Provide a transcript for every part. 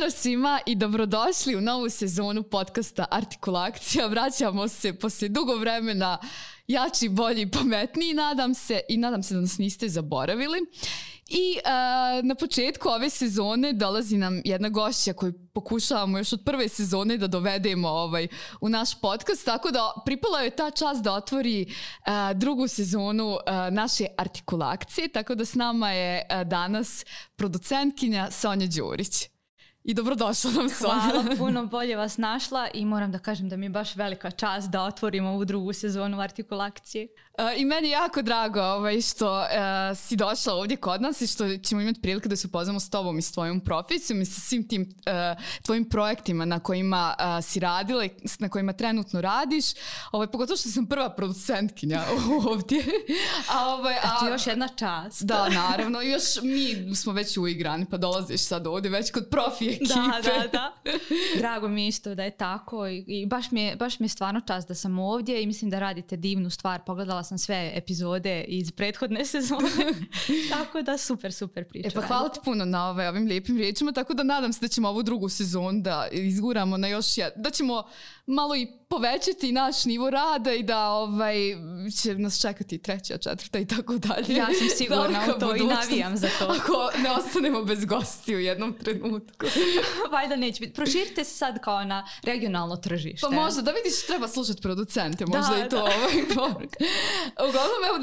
Pozdrav svima i dobrodošli u novu sezonu podcasta Artikulakcija. Vraćamo se poslije dugo vremena jači, bolji, pametniji, nadam se da nas niste zaboravili. I na početku ove sezone dolazi nam jedna gošća koju pokušavamo još od prve sezone da dovedemo u naš podcast, tako da pripala je ta čast da otvori drugu sezonu naše Artikulakcije, tako da s nama je danas producentkinja Sonja Đurić. I dobrodošla nam, Sonja. Hvala, puno bolje vas našla i moram da kažem da mi je baš velika čast da otvorimo ovu drugu sezonu Artikulakcije. I meni je jako drago što si došla ovdje kod nas i što ćemo imati prilike da se upoznamo s tobom i s tvojom profesijom i sa svim tim tvojim projektima na kojima si radila i na kojima trenutno radiš. Pogotovo što sam prva producentkinja ovdje. Eto, još jedna čast. Da, naravno. Još mi smo već uigrani, pa dolaziš sad ovdje već kod profi ekipe. Da. Drago mi je isto da je tako i baš mi je stvarno čast da sam ovdje i mislim da radite divnu stvar. Pogledala sam sve epizode iz prethodne sezone. Tako da super priča. Pa hvala ti puno na ovim lijepim riječima, tako da nadam se da ćemo ovu drugu sezonu da izguramo na još da ćemo malo i povećati naš nivo rada i da će nas čekati treća, četvrta i tako dalje. Ja sam sigurna u to i navijam za to. Ako ne ostanemo bez gosti u jednom trenutku. Valjda neće biti. Proširite se sad kao na regionalno tržište. Pa možda, da vidiš, treba slušati producente, možda i to poruka. Uglavnom, evo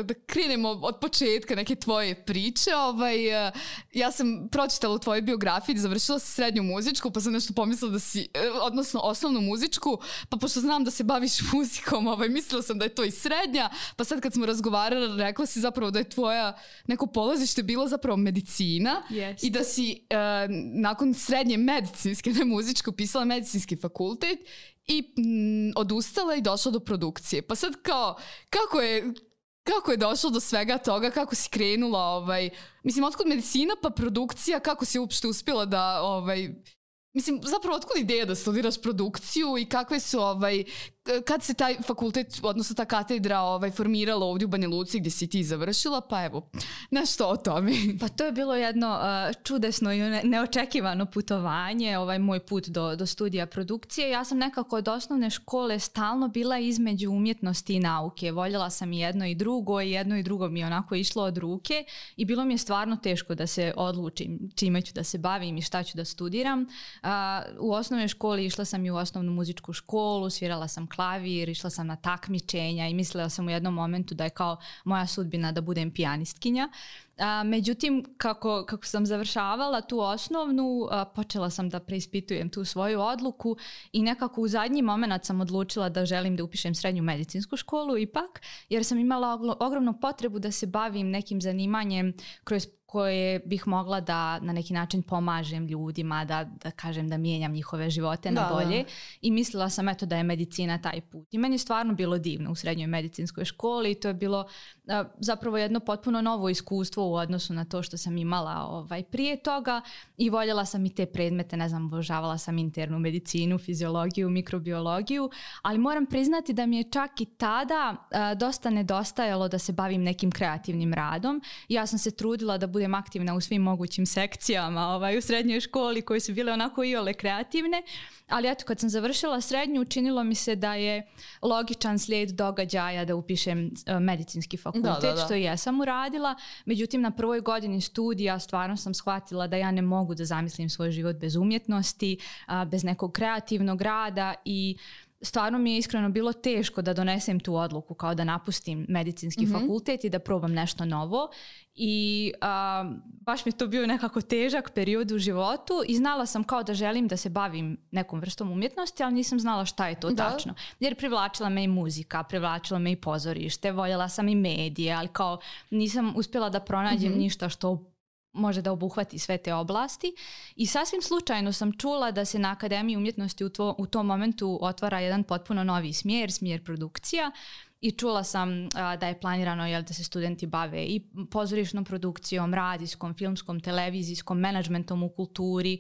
da krenemo od početka neke tvoje priče. Ja sam pročitala u tvojoj biografiji, završila si srednju muzičku, pa sam nešto pomislila da si, odnosno osnovnu muzičku, pa pošto znam da se baviš muzikom, mislila sam da je to i srednja, pa sad kad smo razgovarali, rekla si zapravo da je tvoja neko polazište bilo zapravo medicina. Yes. I da si nakon srednje medicinske, ne muzičke, upisala medicinski fakultet i odustala i došla do produkcije. Pa sad kako je došlo do svega toga, kako si krenula, mislim, otkud medicina pa produkcija, kako si uopšte uspjela da, mislim, zapravo otkud ideja da studiraš produkciju i kakve su, kad se taj fakultet, odnosno ta katedra formirala ovdje u Banja Luci gdje si ti završila, pa evo, nešto o tome. Pa to je bilo jedno čudesno i neočekivano putovanje, moj put do studija produkcije. Ja sam nekako od osnovne škole stalno bila između umjetnosti i nauke. Voljela sam i jedno i drugo mi je onako išlo od ruke i bilo mi je stvarno teško da se odlučim čime ću da se bavim i šta ću da studiram. U osnovnoj školi išla sam i u osnovnu muzičku školu, svirala sam klavir, išla sam na takmičenja i mislila sam u jednom momentu da je kao moja sudbina da budem pijanistkinja. Međutim, kako sam završavala tu osnovnu, počela sam da preispitujem tu svoju odluku i nekako u zadnji moment sam odlučila da želim da upišem srednju medicinsku školu ipak, jer sam imala ogromnu potrebu da se bavim nekim zanimanjem kroz koje bih mogla da na neki način pomažem ljudima, da kažem da mijenjam njihove živote na bolje. I mislila sam da je medicina taj put. I meni je stvarno bilo divno u srednjoj medicinskoj školi i to je bilo zapravo jedno potpuno novo iskustvo u odnosu na to što sam imala prije toga i voljela sam i te predmete, obožavala sam internu medicinu, fiziologiju, mikrobiologiju, ali moram priznati da mi je čak i tada dosta nedostajalo da se bavim nekim kreativnim radom. Ja sam se trudila da budem aktivna u svim mogućim sekcijama u srednjoj školi koje su bile onako iole kreativne, ali eto, kad sam završila srednju, učinilo mi se da je logičan slijed događaja da upišem medicinski fakultet, što i jesam uradila. Međutim, na prvoj godini studija stvarno sam shvatila da ja ne mogu da zamislim svoj život bez umjetnosti, bez nekog kreativnog rada i stvarno mi je iskreno bilo teško da donesem tu odluku kao da napustim medicinski fakultet i da probam nešto novo i baš mi je to bio nekako težak period u životu i znala sam kao da želim da se bavim nekom vrstom umjetnosti, ali nisam znala šta je to tačno. Jer privlačila me i muzika, privlačila me i pozorište, voljela sam i medije, ali kao nisam uspjela da pronađem ništa što može da obuhvati sve te oblasti i sasvim slučajno sam čula da se na Akademiji umjetnosti u tom momentu otvara jedan potpuno novi smjer produkcija i čula sam da je planirano da se studenti bave i pozorišnom produkcijom, radijskom, filmskom, televizijskom, menadžmentom u kulturi,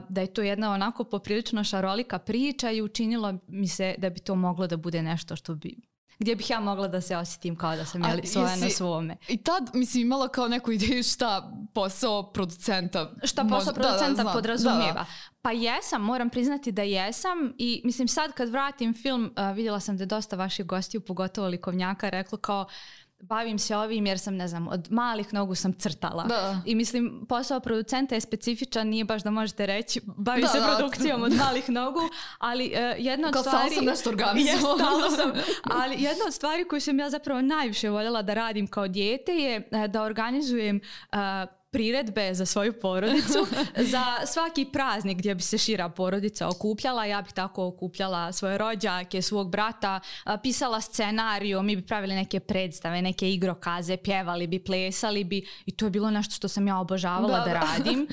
da je to jedna onako poprilično šarolika priča i učinilo mi se da bi to moglo da bude nešto što bi gdje bih ja mogla da se osjetim kao da sam svoja na svome. I tad, mislim, imala kao neku ideju šta posao producenta... Šta posao producenta podrazumijeva. Pa jesam, moram priznati da jesam i mislim sad kad vratim film, vidjela sam da je dosta vaših gostiju, pogotovo likovnjaka, reklo kao bavim se ovim jer sam, ne znam, od malih nogu sam crtala. I mislim, posao producenta je specifičan, nije baš da možete reći bavim se produkcijom od malih nogu, ali jedna od stvari... sam nešto organizovala. Ali jedna od stvari koju sam ja zapravo najviše voljela da radim kao dijete je da organizujem priredbe za svoju porodicu, za svaki praznik gdje bi se šira porodica okupljala. Ja bih tako okupljala svoje rođake, svog brata, pisala scenariju, mi bi pravili neke predstave, neke igrokaze, pjevali bi, plesali bi i to je bilo nešto što sam ja obožavala da radim.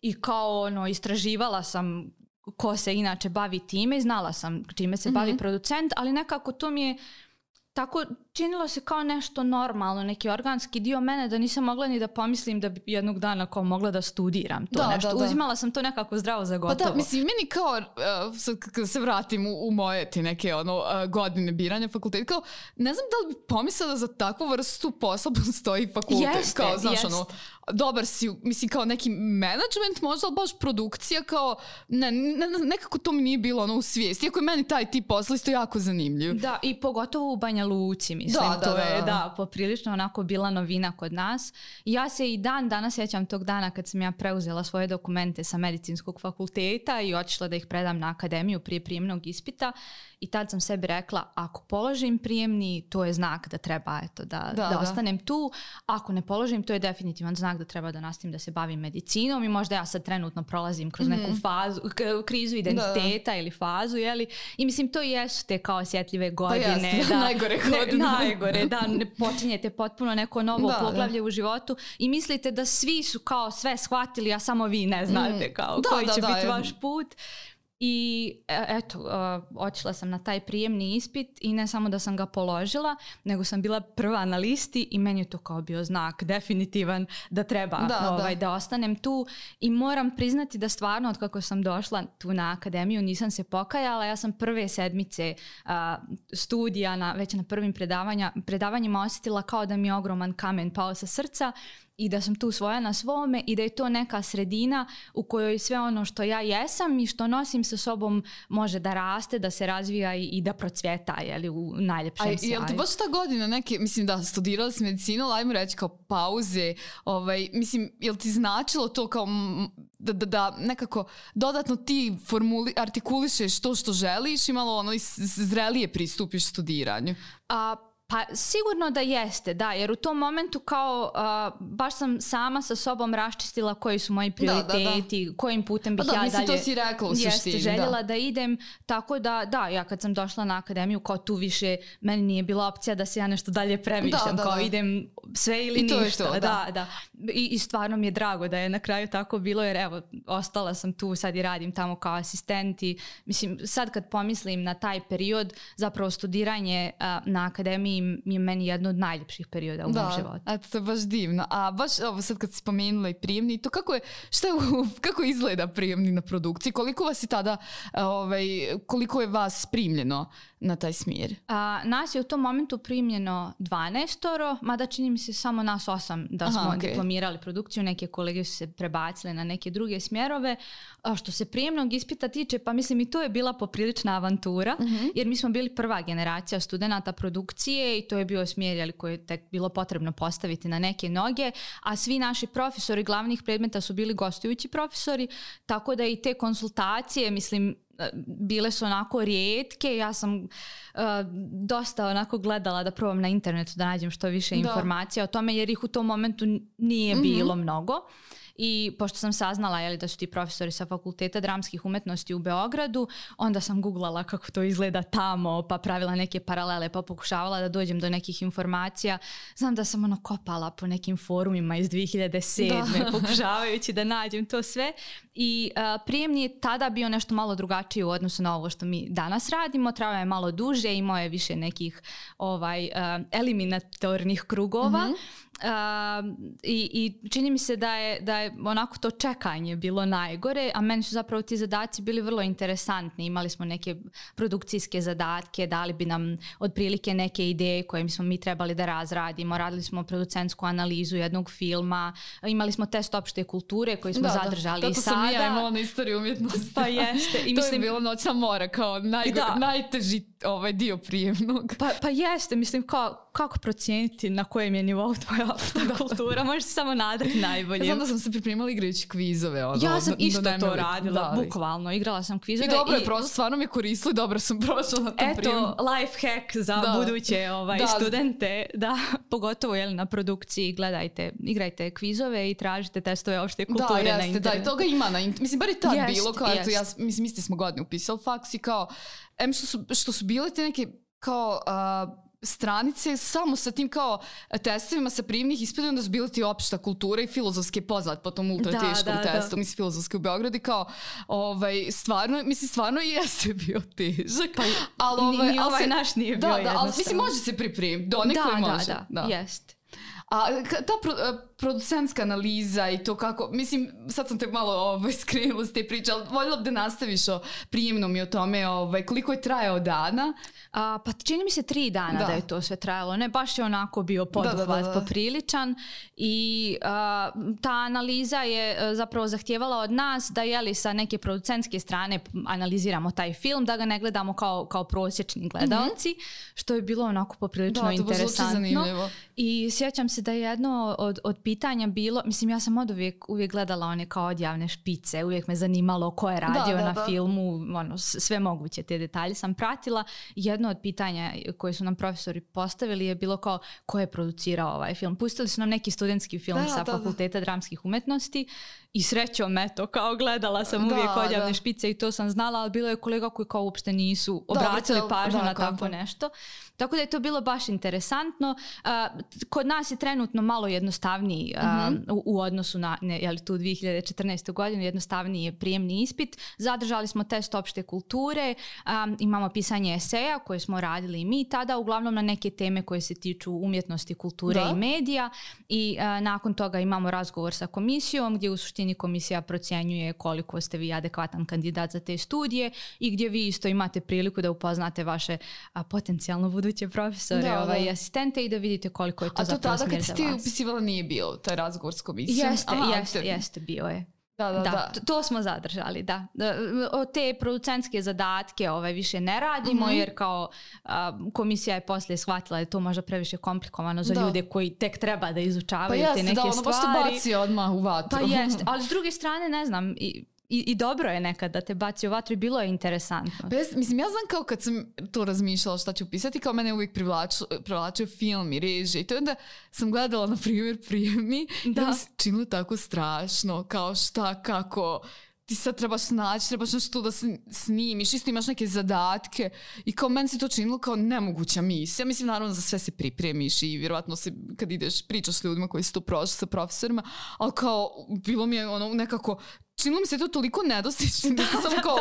I kao istraživala sam ko se inače bavi time i znala sam čime se bavi producent, ali nekako to mi je tako činilo se kao nešto normalno, neki organski dio mene da nisam mogla ni da pomislim da bi jednog dana kao mogla da studiram to nešto. Uzimala sam to nekako zdravo za gotovo. Pa da, mislim, meni kao, kada se vratim u moje ti neke godine biranja fakulteta, kao, ne znam da li bi pomislila za takvu vrstu posla postoji fakultet. Jeste, kao, znaš, dobar si, mislim, kao neki management, možda, ali baš produkcija, kao, nekako to mi nije bilo u svijesti. Iako je meni taj tip posla isto jako zanimljiv. Da, i pogotovo u Banja Luci, mislim, to je poprilično onako bila novina kod nas. Ja se i danas sjećam tog dana kad sam ja preuzela svoje dokumente sa medicinskog fakulteta i otišla da ih predam na akademiju prije prijemnog ispita i tad sam sebi rekla, ako položim prijemni, to je znak da treba da ostanem tu. Ako ne položim, to je definitivan znak da treba da nastavim da se bavim medicinom i možda ja sad trenutno prolazim kroz neku fazu, krizu identiteta ili fazu, jeli? I mislim, to jesu te kao osjetljive godine. Pa najgore godine. Najgore, da počinjete potpuno neko novo poglavlje u životu i mislite da svi su kao sve shvatili, a samo vi ne znate kao koji će biti vaš put. I eto, otišla sam na taj prijemni ispit i ne samo da sam ga položila, nego sam bila prva na listi i meni je to kao bio znak definitivan da treba da ostanem tu i moram priznati da stvarno od kako sam došla tu na akademiju nisam se pokajala. Ja sam prve sedmice studija već na prvim predavanjima osjetila kao da mi je ogroman kamen pao sa srca i da sam tu svoja na svome i da je to neka sredina u kojoj sve ono što ja jesam i što nosim sa sobom može da raste, da se razvija i da procvjeta, jeli, u najljepšem sjaju. Jel ti baš ta godina neke, mislim da studirala si medicinu, ali ajmo reći kao pauze, mislim, jel ti značilo to kao da nekako dodatno ti artikulišeš to što želiš i malo zrelije pristupiš studiranju? Pa sigurno da jeste, da, jer u tom momentu kao baš sam sama sa sobom raščistila koji su moji prioriteti, kojim putem bih ja dalje to si rekla u suštini, željela da idem, tako da, ja kad sam došla na akademiju kao tu više meni nije bila opcija da se ja nešto dalje premišljam, kao idem sve ili ništa. I stvarno mi je drago da je na kraju tako bilo, jer evo, ostala sam tu, sad i radim tamo kao asistent i mislim, sad kad pomislim na taj period, zapravo studiranje na akademiji je meni jedno od najljepših perioda u mom životu. Eto, to je baš divno. A baš ovo sad kad si spomenula i prijemni, to kako izgleda prijemni na produkciji? Koliko vas je tada, koliko je vas primljeno na taj smjer? Nas je u tom momentu primljeno 12, mada čini mi se samo nas 8 da smo diplomirali produkciju, neke kolege su se prebacile na neke druge smjerove. Što se prijemnog ispita tiče, pa mislim i to je bila poprilična avantura, jer mi smo bili prva generacija studenata produkcije i to je bio smjer koji je tek bilo potrebno postaviti na neke noge, a svi naši profesori glavnih predmeta su bili gostujući profesori, tako da i te konsultacije, mislim, bile su onako rijetke. Ja sam dosta onako gledala da probam na internetu da nađem što više informacija o tome, jer ih u tom momentu nije bilo mnogo. I pošto sam saznala da su ti profesori sa Fakulteta dramskih umjetnosti u Beogradu, onda sam googlala kako to izgleda tamo, pa pravila neke paralele, pa pokušavala da dođem do nekih informacija. Znam da sam kopala po nekim forumima iz 2007. pokušavajući da nađem to sve. I prijemni je tada bio nešto malo drugačiji u odnosu na ovo što mi danas radimo. Trajao je malo duže, imao je više nekih eliminatornih krugova. I čini mi se da je onako to čekanje bilo najgore, a meni su zapravo ti zadaci bili vrlo interesantni. Imali smo neke produkcijske zadatke, dali bi nam otprilike neke ideje koje smo mi trebali da razradimo, radili smo producentsku analizu jednog filma, imali smo test opšte kulture koji smo zadržali i sada. Tako sam ja imala na istoriju umjetnosti. Pa jeste. I to je bilo Noćna mora kao najteži dio prijemnog. Pa jeste, mislim kako procijeniti na kojem je nivou tvoja opšta kultura, možeš samo nadati najbolje. Ja znam da sam se pripremala igrajući kvizove. Ja sam isto to radila, bukvalno. Igrala sam kvizove. I dobro je prošlo, stvarno mi je koristilo i dobro sam prošla na tom prijemu. Eto, life hack za buduće studente. Da, pogotovo na produkciji, igrajte kvizove i tražite testove opšte kulture na internetu. Da, i toga ima na internetu. Mislim, bar i tad bilo. Mislim, isti smo godine upisali faks i kao, što su bile te neke kao stranice samo sa tim kao testovima sa prijemnih ispita, onda su bile ti opšta kultura i filozofske poznat po tom ultra teškom testu. Mislim, filozofske u Beogradu kao stvarno jeste bio težak. Ni ovaj naš nije bio jednostavno. Ali mislim, može se pripremiti. Donekle može. Da, jest. A ta producentska analiza i to kako, mislim, sad sam te malo skrenula s te priče, ali voljela bi da nastaviš o prijemnom i o tome koliko je trajao dana. Pa čini mi se 3 dana da je to sve trajalo. Ne, baš je onako bio poduhvat popriličan i ta analiza je zapravo zahtijevala od nas da sa neke producentske strane analiziramo taj film, da ga ne gledamo kao prosječni gledalci, što je bilo onako poprilično interesantno. I sjećam se da je jedno od pitanja bilo, mislim, ja sam uvijek gledala one kao odjavne špice, uvijek me zanimalo ko je radio na filmu, sve moguće te detalje sam pratila. Jedno od pitanja koje su nam profesori postavili je bilo kao ko je producirao ovaj film. Pustili su nam neki studentski film sa Fakulteta dramskih umjetnosti i srećom, eto, kao gledala sam uvijek odjavne špice i to sam znala, ali bilo je kolega koji kao uopšte nisu obratili pažnju na tako nešto. Tako da je to bilo baš interesantno. Kod nas je trenutno malo jednostavniji u odnosu na tu 2014. godinu, jednostavniji je prijemni ispit. Zadržali smo test opšte kulture, imamo pisanje eseja koje smo radili i mi tada, uglavnom na neke teme koje se tiču umjetnosti, kulture i medija i nakon toga imamo razgovor sa komisijom gdje u suštini komisija procjenjuje koliko ste vi adekvatan kandidat za te studije i gdje vi isto imate priliku da upoznate vaše potencijalno buduće profesore i asistente i da vidite koliko je to zapravo smjer za vas. A to tada kad si ti upisivala nije bilo taj razgovor s komisijom? Jeste, bio je. Da. To smo zadržali, da. O te producentske zadatke više ne radimo jer kao komisija je poslije shvatila da je to možda previše komplikovano za ljude koji tek treba da izučavaju te neke stvari. Baš te baci odmah u vatru. Pa jeste, ali s druge strane ne znam, I dobro je nekad da te baci u vatru i bilo je interesantno. Mislim, ja znam kao kad sam to razmišljala šta ću pisati, kao mene uvijek privlačio film i režije. I to onda sam gledala, na primjer, prijemni i da mi se činilo tako strašno, kao šta, kako ti sad trebaš naći, trebaš nešto da snimiš, isto imaš neke zadatke i kao meni se to činilo kao nemoguća misija. Mislim, naravno za sve se pripremiš i vjerovatno se kad ideš pričaš s ljudima koji su to prošli sa profesorima, ali kao bilo mi je nekako činilo mi se to toliko nedostično da sam kao,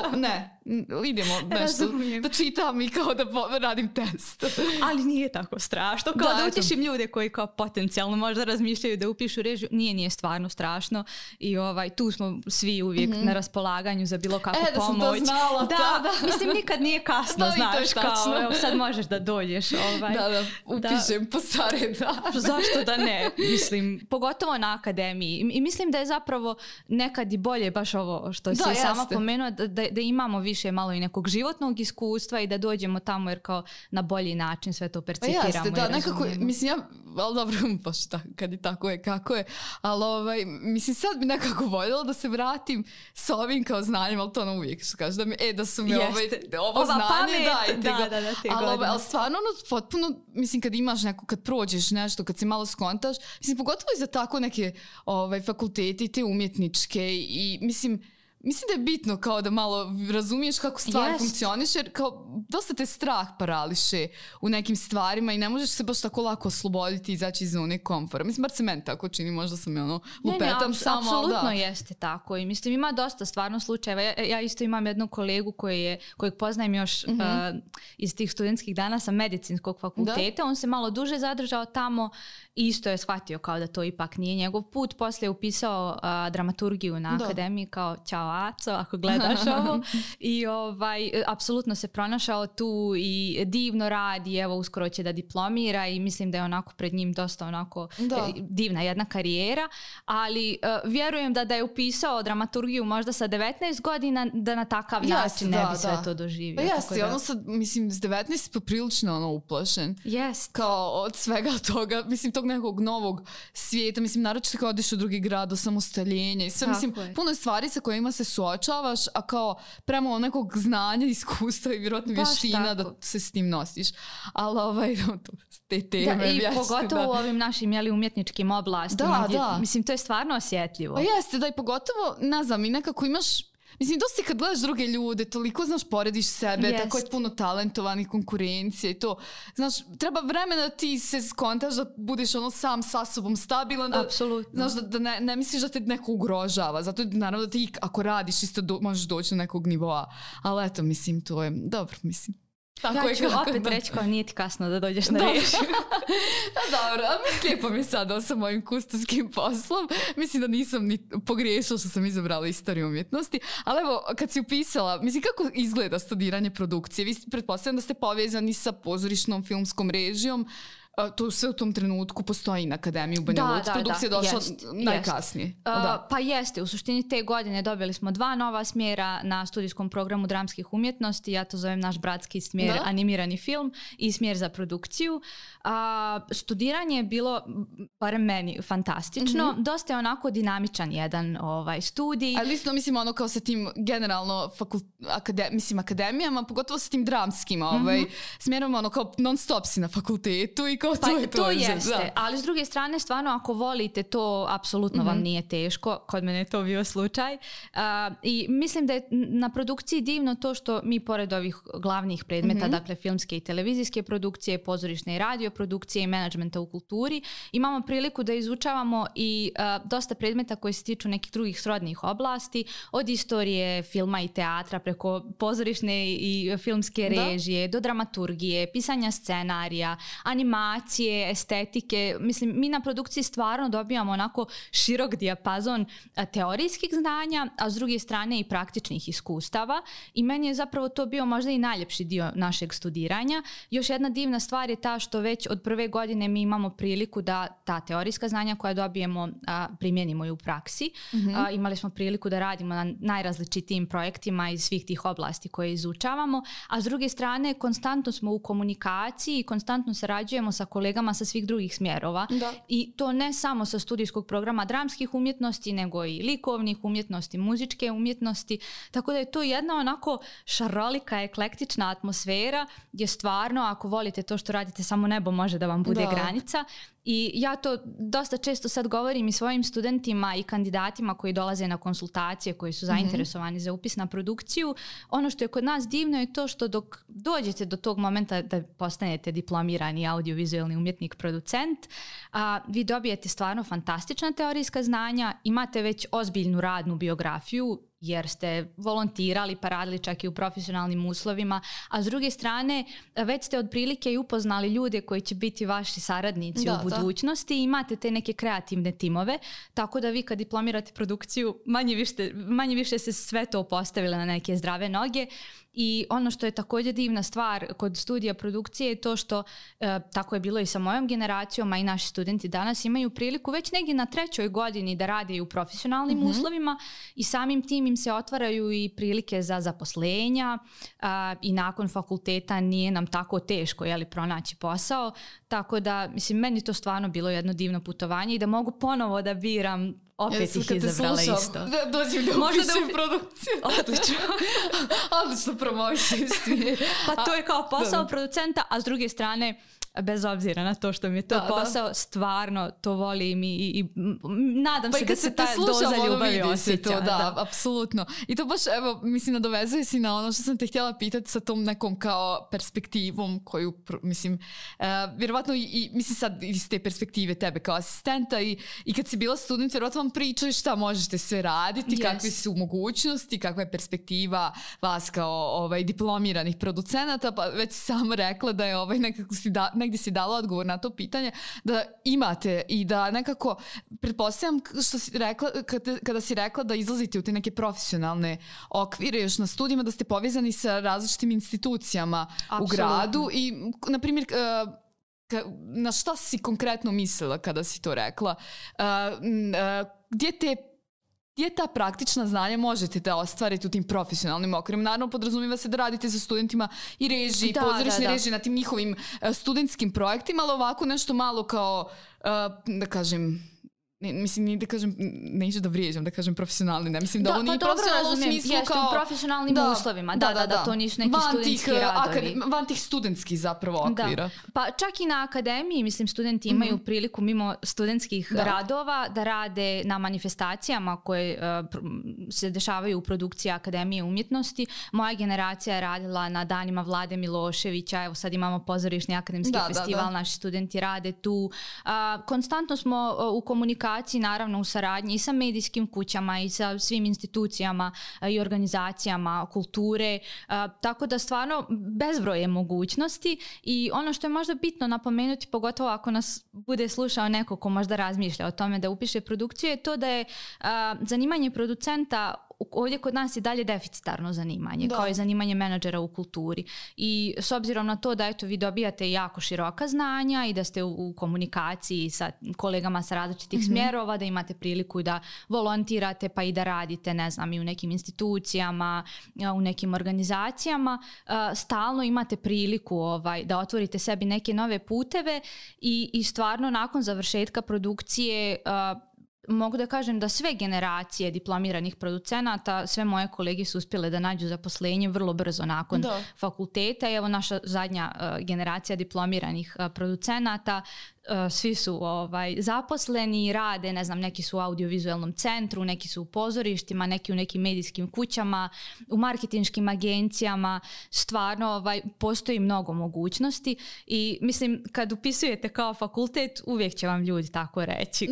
idemo nešto da čitam i kao da radim test. Ali nije tako strašno. Kao da utješim ljude koji kao potencijalno možda razmišljaju da upišu režiju. Nije stvarno strašno. I tu smo svi uvijek na raspolaganju za bilo kakvu pomoć. Da sam to znala. Da. Mislim, nikad nije kasno, znaš, kao evo, sad možeš da dođeš. Upišem po stare da. Zašto da ne? Mislim, pogotovo na akademiji. I mislim da je zapravo nekad i bolje baš ovo što si sama pomenula, da imamo više malo i nekog životnog iskustva i da dođemo tamo jer kao na bolji način sve to percipiramo i razumijemo. Nekako, mislim, ali dobro, baš kad je tako je kako je, ali mislim, sad bi nekako voljela da se vratim s ovim kao znanjem, ali to ono uvijek što kaže, da su mi ovo znanje, ali stvarno potpuno, mislim, kad imaš neko, kad prođeš nešto, kad se malo skontaš, mislim, pogotovo i za tako neke fakultete, te umjetničke i mislim, mislim da je bitno kao da malo razumiješ kako stvari funkcioniš, jer kao dosta te strah parališe u nekim stvarima i ne možeš se baš tako lako osloboditi i izaći iz zone komfora. Mislim, bar se meni tako čini, možda sam lupetam samo. Apsolutno jeste tako i mislim ima dosta stvarno slučajeva. Ja isto imam jednu kolegu kojeg poznajem još iz tih studentskih dana sa medicinskog fakulteta. On se malo duže zadržao tamo i isto je shvatio kao da to ipak nije njegov put. Poslije je upisao dramaturgiju na akademiji kao ćao Aco, ako gledaš ovo. I apsolutno se pronašao tu i divno radi, evo uskoro će da diplomira i mislim da je onako pred njim dosta onako divna jedna karijera, ali vjerujem da je upisao dramaturgiju možda sa 19 godina da na takav način ne bi sve to doživio. Pa jeste, ono sad, mislim, s 19 poprilično uplašen. Kao od svega toga, mislim, tog nekog novog svijeta, mislim, naročito kao odiš u drugi grad, do samostaljenja i sve, mislim, puno je stvari sa kojima se suočavaš, a kao prema nekog znanja, iskustva i vjerojatno vještina da se s tim nosiš. Ali te teme i pogotovo u ovim našim umjetničkim oblastima. Mislim, to je stvarno osjetljivo. Pa jeste, da i pogotovo, ne znam, i nekako imaš, mislim, dosta kad gledaš druge ljude, toliko, znaš, porediš sebe, tako je puno talentovanih, konkurencije i to. Znaš, treba vremena da ti se skontaš, da budeš sam sa sobom stabilan. Apsolutno. Znaš, da ne misliš da te neko ugrožava. Zato naravno da ti, ako radiš, isto možeš doći do nekog nivoa. Ali eto, mislim, to je dobro, mislim. Tako ja ću opet reći kao nije ti kasno da dođeš na reč. Dobro, a lijepo mi je sada sa mojim kustarskim poslom. Mislim da nisam ni pogriješila što sam izabrala istoriju umjetnosti. Ali evo, kad si upisala, mislim kako izgleda studiranje produkcije? Vi pretpostavljam da ste povezani sa pozorišnom filmskom režijom. To sve u tom trenutku postoji na Akademiji u Banja Luci. Produkcija je došla najkasnije. Pa jeste, u suštini te godine dobili smo 2 nova smjera na studijskom programu dramskih umjetnosti. Ja to zovem naš bratski smjer animirani film i smjer za produkciju. Studiranje je bilo, barem meni, fantastično. Dosta je onako dinamičan jedan studij. Ali isto mislim ono kao sa tim generalno akademijama, pogotovo sa tim dramskim smjerom, ono kao non stop si na fakultetu i to jeste, ali s druge strane stvarno ako volite to apsolutno vam nije teško, kod mene je to bio slučaj i mislim da je na produkciji divno to što mi pored ovih glavnih predmeta, dakle filmske i televizijske produkcije, pozorišne i radio produkcije i menadžmenta u kulturi, imamo priliku da izučavamo i dosta predmeta koji se tiču nekih drugih srodnih oblasti, od istorije filma i teatra preko pozorišne i filmske režije do dramaturgije, pisanja scenarija, animacije, estetike. Mislim, mi na produkciji stvarno dobijamo onako širok dijapazon teorijskih znanja, a s druge strane i praktičnih iskustava i meni je zapravo to bio možda i najljepši dio našeg studiranja. Još jedna divna stvar je ta što već od prve godine mi imamo priliku da ta teorijska znanja koja dobijemo primjenimo i u praksi. Imali smo priliku da radimo na najrazličitijim projektima iz svih tih oblasti koje izučavamo, a s druge strane konstantno smo u komunikaciji i konstantno sarađujemo sa kolegama sa svih drugih smjerova. I to ne samo sa studijskog programa dramskih umjetnosti, nego i likovnih umjetnosti, muzičke umjetnosti. Tako da je to jedna onako šarolika, eklektična atmosfera gdje stvarno ako volite to što radite, samo nebo može da vam bude granica. I ja to dosta često sad govorim i svojim studentima i kandidatima koji dolaze na konsultacije, koji su zainteresovani za upis na produkciju. Ono što je kod nas divno je to što dok dođete do tog momenta da postanete diplomirani audiovizualni umjetnik, producent, vi dobijete stvarno fantastična teorijska znanja, imate već ozbiljnu radnu biografiju, jer ste volontirali pa radili čak i u profesionalnim uslovima, a s druge strane već ste otprilike i upoznali ljude koji će biti vaši saradnici u budućnosti i imate te neke kreativne timove, tako da vi kad diplomirate produkciju manje više se sve to postavile na neke zdrave noge. I ono što je također divna stvar kod studija produkcije je to što tako je bilo i sa mojom generacijom, a i naši studenti danas imaju priliku već negdje na 3. godini da rade i u profesionalnim uslovima i samim tim im se otvaraju i prilike za zaposlenja i nakon fakulteta nije nam tako teško pronaći posao, tako da mislim meni to stvarno bilo jedno divno putovanje i da mogu ponovo da biram. Opet ih izabrala isto. Dođem da upišem produkciju. Odlično. Odlično promoviš. Pa to je kao posao producenta, a s druge strane bez obzira na to što mi je to posao, stvarno to volim i nadam se da se ta doza ljubavi osjeća. Da, apsolutno. I to baš, evo, mislim, nadovezuje si na ono što sam te htjela pitati sa tom nekom kao perspektivom koju, mislim, vjerovatno i mislim sad iz te perspektive tebe kao asistenta i kad si bila student, vjerovatno vam pričaju šta možete sve raditi, kakve su mogućnosti, kakva je perspektiva vas kao diplomiranih producenata, pa već si sama rekla da je nekako negdje si dala odgovor na to pitanje, da imate i da nekako, pretpostavljam što si rekla, kada si rekla da izlazite u te neke profesionalne okvire još na studijima, da ste povezani sa različitim institucijama u gradu i, na primjer, na šta si konkretno mislila kada si to rekla? Gdje ta praktična znanja možete da ostvarite u tim profesionalnim okvirima? Naravno, podrazumijeva se da radite sa studentima i režiji, pozorišne režije na tim njihovim studentskim projektima, ali ovako nešto malo kao, da kažem, mislim, da kažem, neću da vrijeđam, da kažem profesionalni, ne mislim da ovo nije profesionalno u smislu kao... u profesionalnim uslovima, da, to nisu neki studentski radovi. Van tih studentskih zapravo okvira. Pa čak i na akademiji, mislim, studenti imaju priliku mimo studentskih radova da rade na manifestacijama koje se dešavaju u produkciji Akademije umjetnosti. Moja generacija je radila na danima Vlade Miloševića, evo sad imamo pozorišni akademski festival, naši studenti rade tu. Konstantno smo u komunikaciji, naravno u saradnji i sa medijskim kućama i sa svim institucijama i organizacijama kulture, tako da stvarno bezbroj je mogućnosti i ono što je možda bitno napomenuti, pogotovo ako nas bude slušao neko ko možda razmišlja o tome da upiše produkciju, je to da je zanimanje producenta ovdje kod nas je dalje deficitarno zanimanje, kao i zanimanje menadžera u kulturi. I s obzirom na to da vi dobijate jako široka znanja i da ste u komunikaciji sa kolegama sa različitih smjerova, da imate priliku da volontirate pa i da radite, ne znam, i u nekim institucijama, u nekim organizacijama, stalno imate priliku da otvorite sebi neke nove puteve i stvarno nakon završetka produkcije mogu da kažem da sve generacije diplomiranih producenata, sve moje kolege su uspjele da nađu zaposlenje vrlo brzo nakon fakulteta. I evo naša zadnja generacija diplomiranih producenata, svi su zaposleni, rade, ne znam, neki su u audiovizualnom centru, neki su u pozorištima, neki u nekim medijskim kućama, u marketinškim agencijama. Stvarno postoji mnogo mogućnosti i mislim kad upisujete kao fakultet uvijek će vam ljudi tako reći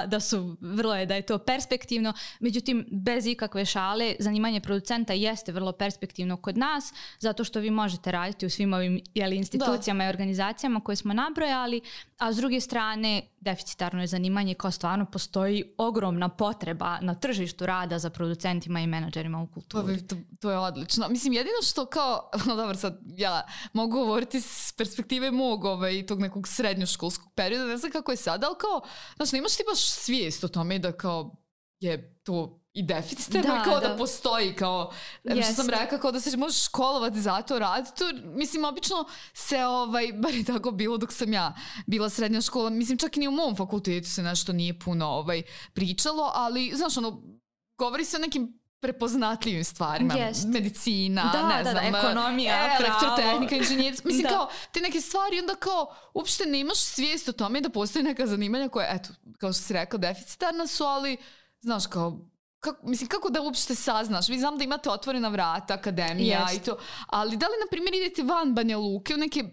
da su, vrlo je da je to perspektivno, međutim bez ikakve šale zanimanje producenta jeste vrlo perspektivno kod nas zato što vi možete raditi u svim ovim institucijama i organizacijama koje smo nabrojali, a s druge strane deficitarno je zanimanje kao stvarno postoji ogromna potreba na tržištu rada za producentima i menadžerima u kulturi. To je odlično. Mislim, jedino što kao, dobro sad ja mogu govoriti s perspektive mog tog nekog srednjoškolskog perioda, ne znam kako je sad, ali kao, znaš, nemaš ti baš svijest o tome da kao je to i deficitarno kao da postoji kao, što sam rekao, kao da se možeš školovati za to, raditi to. Mislim, obično se, bar je tako bilo dok sam ja bila srednja škola, mislim, čak i ni u mom fakultetu se nešto nije puno pričalo, ali, znaš, govori se o nekim prepoznatljivim stvarima, medicina, ne znam, ekonomija, elektrotehnika, inženjerstvo, mislim kao te neke stvari, onda kao uopšte nemaš svijest o tome da postoji neka zanimanja koja, eto, kao što si rekao, deficitarna su, ali, znaš, kao kako da uopšte saznaš? Vi znam da imate otvorena vrata, akademija i to, ali da li, na primjer, idete van Banja Luke u neke,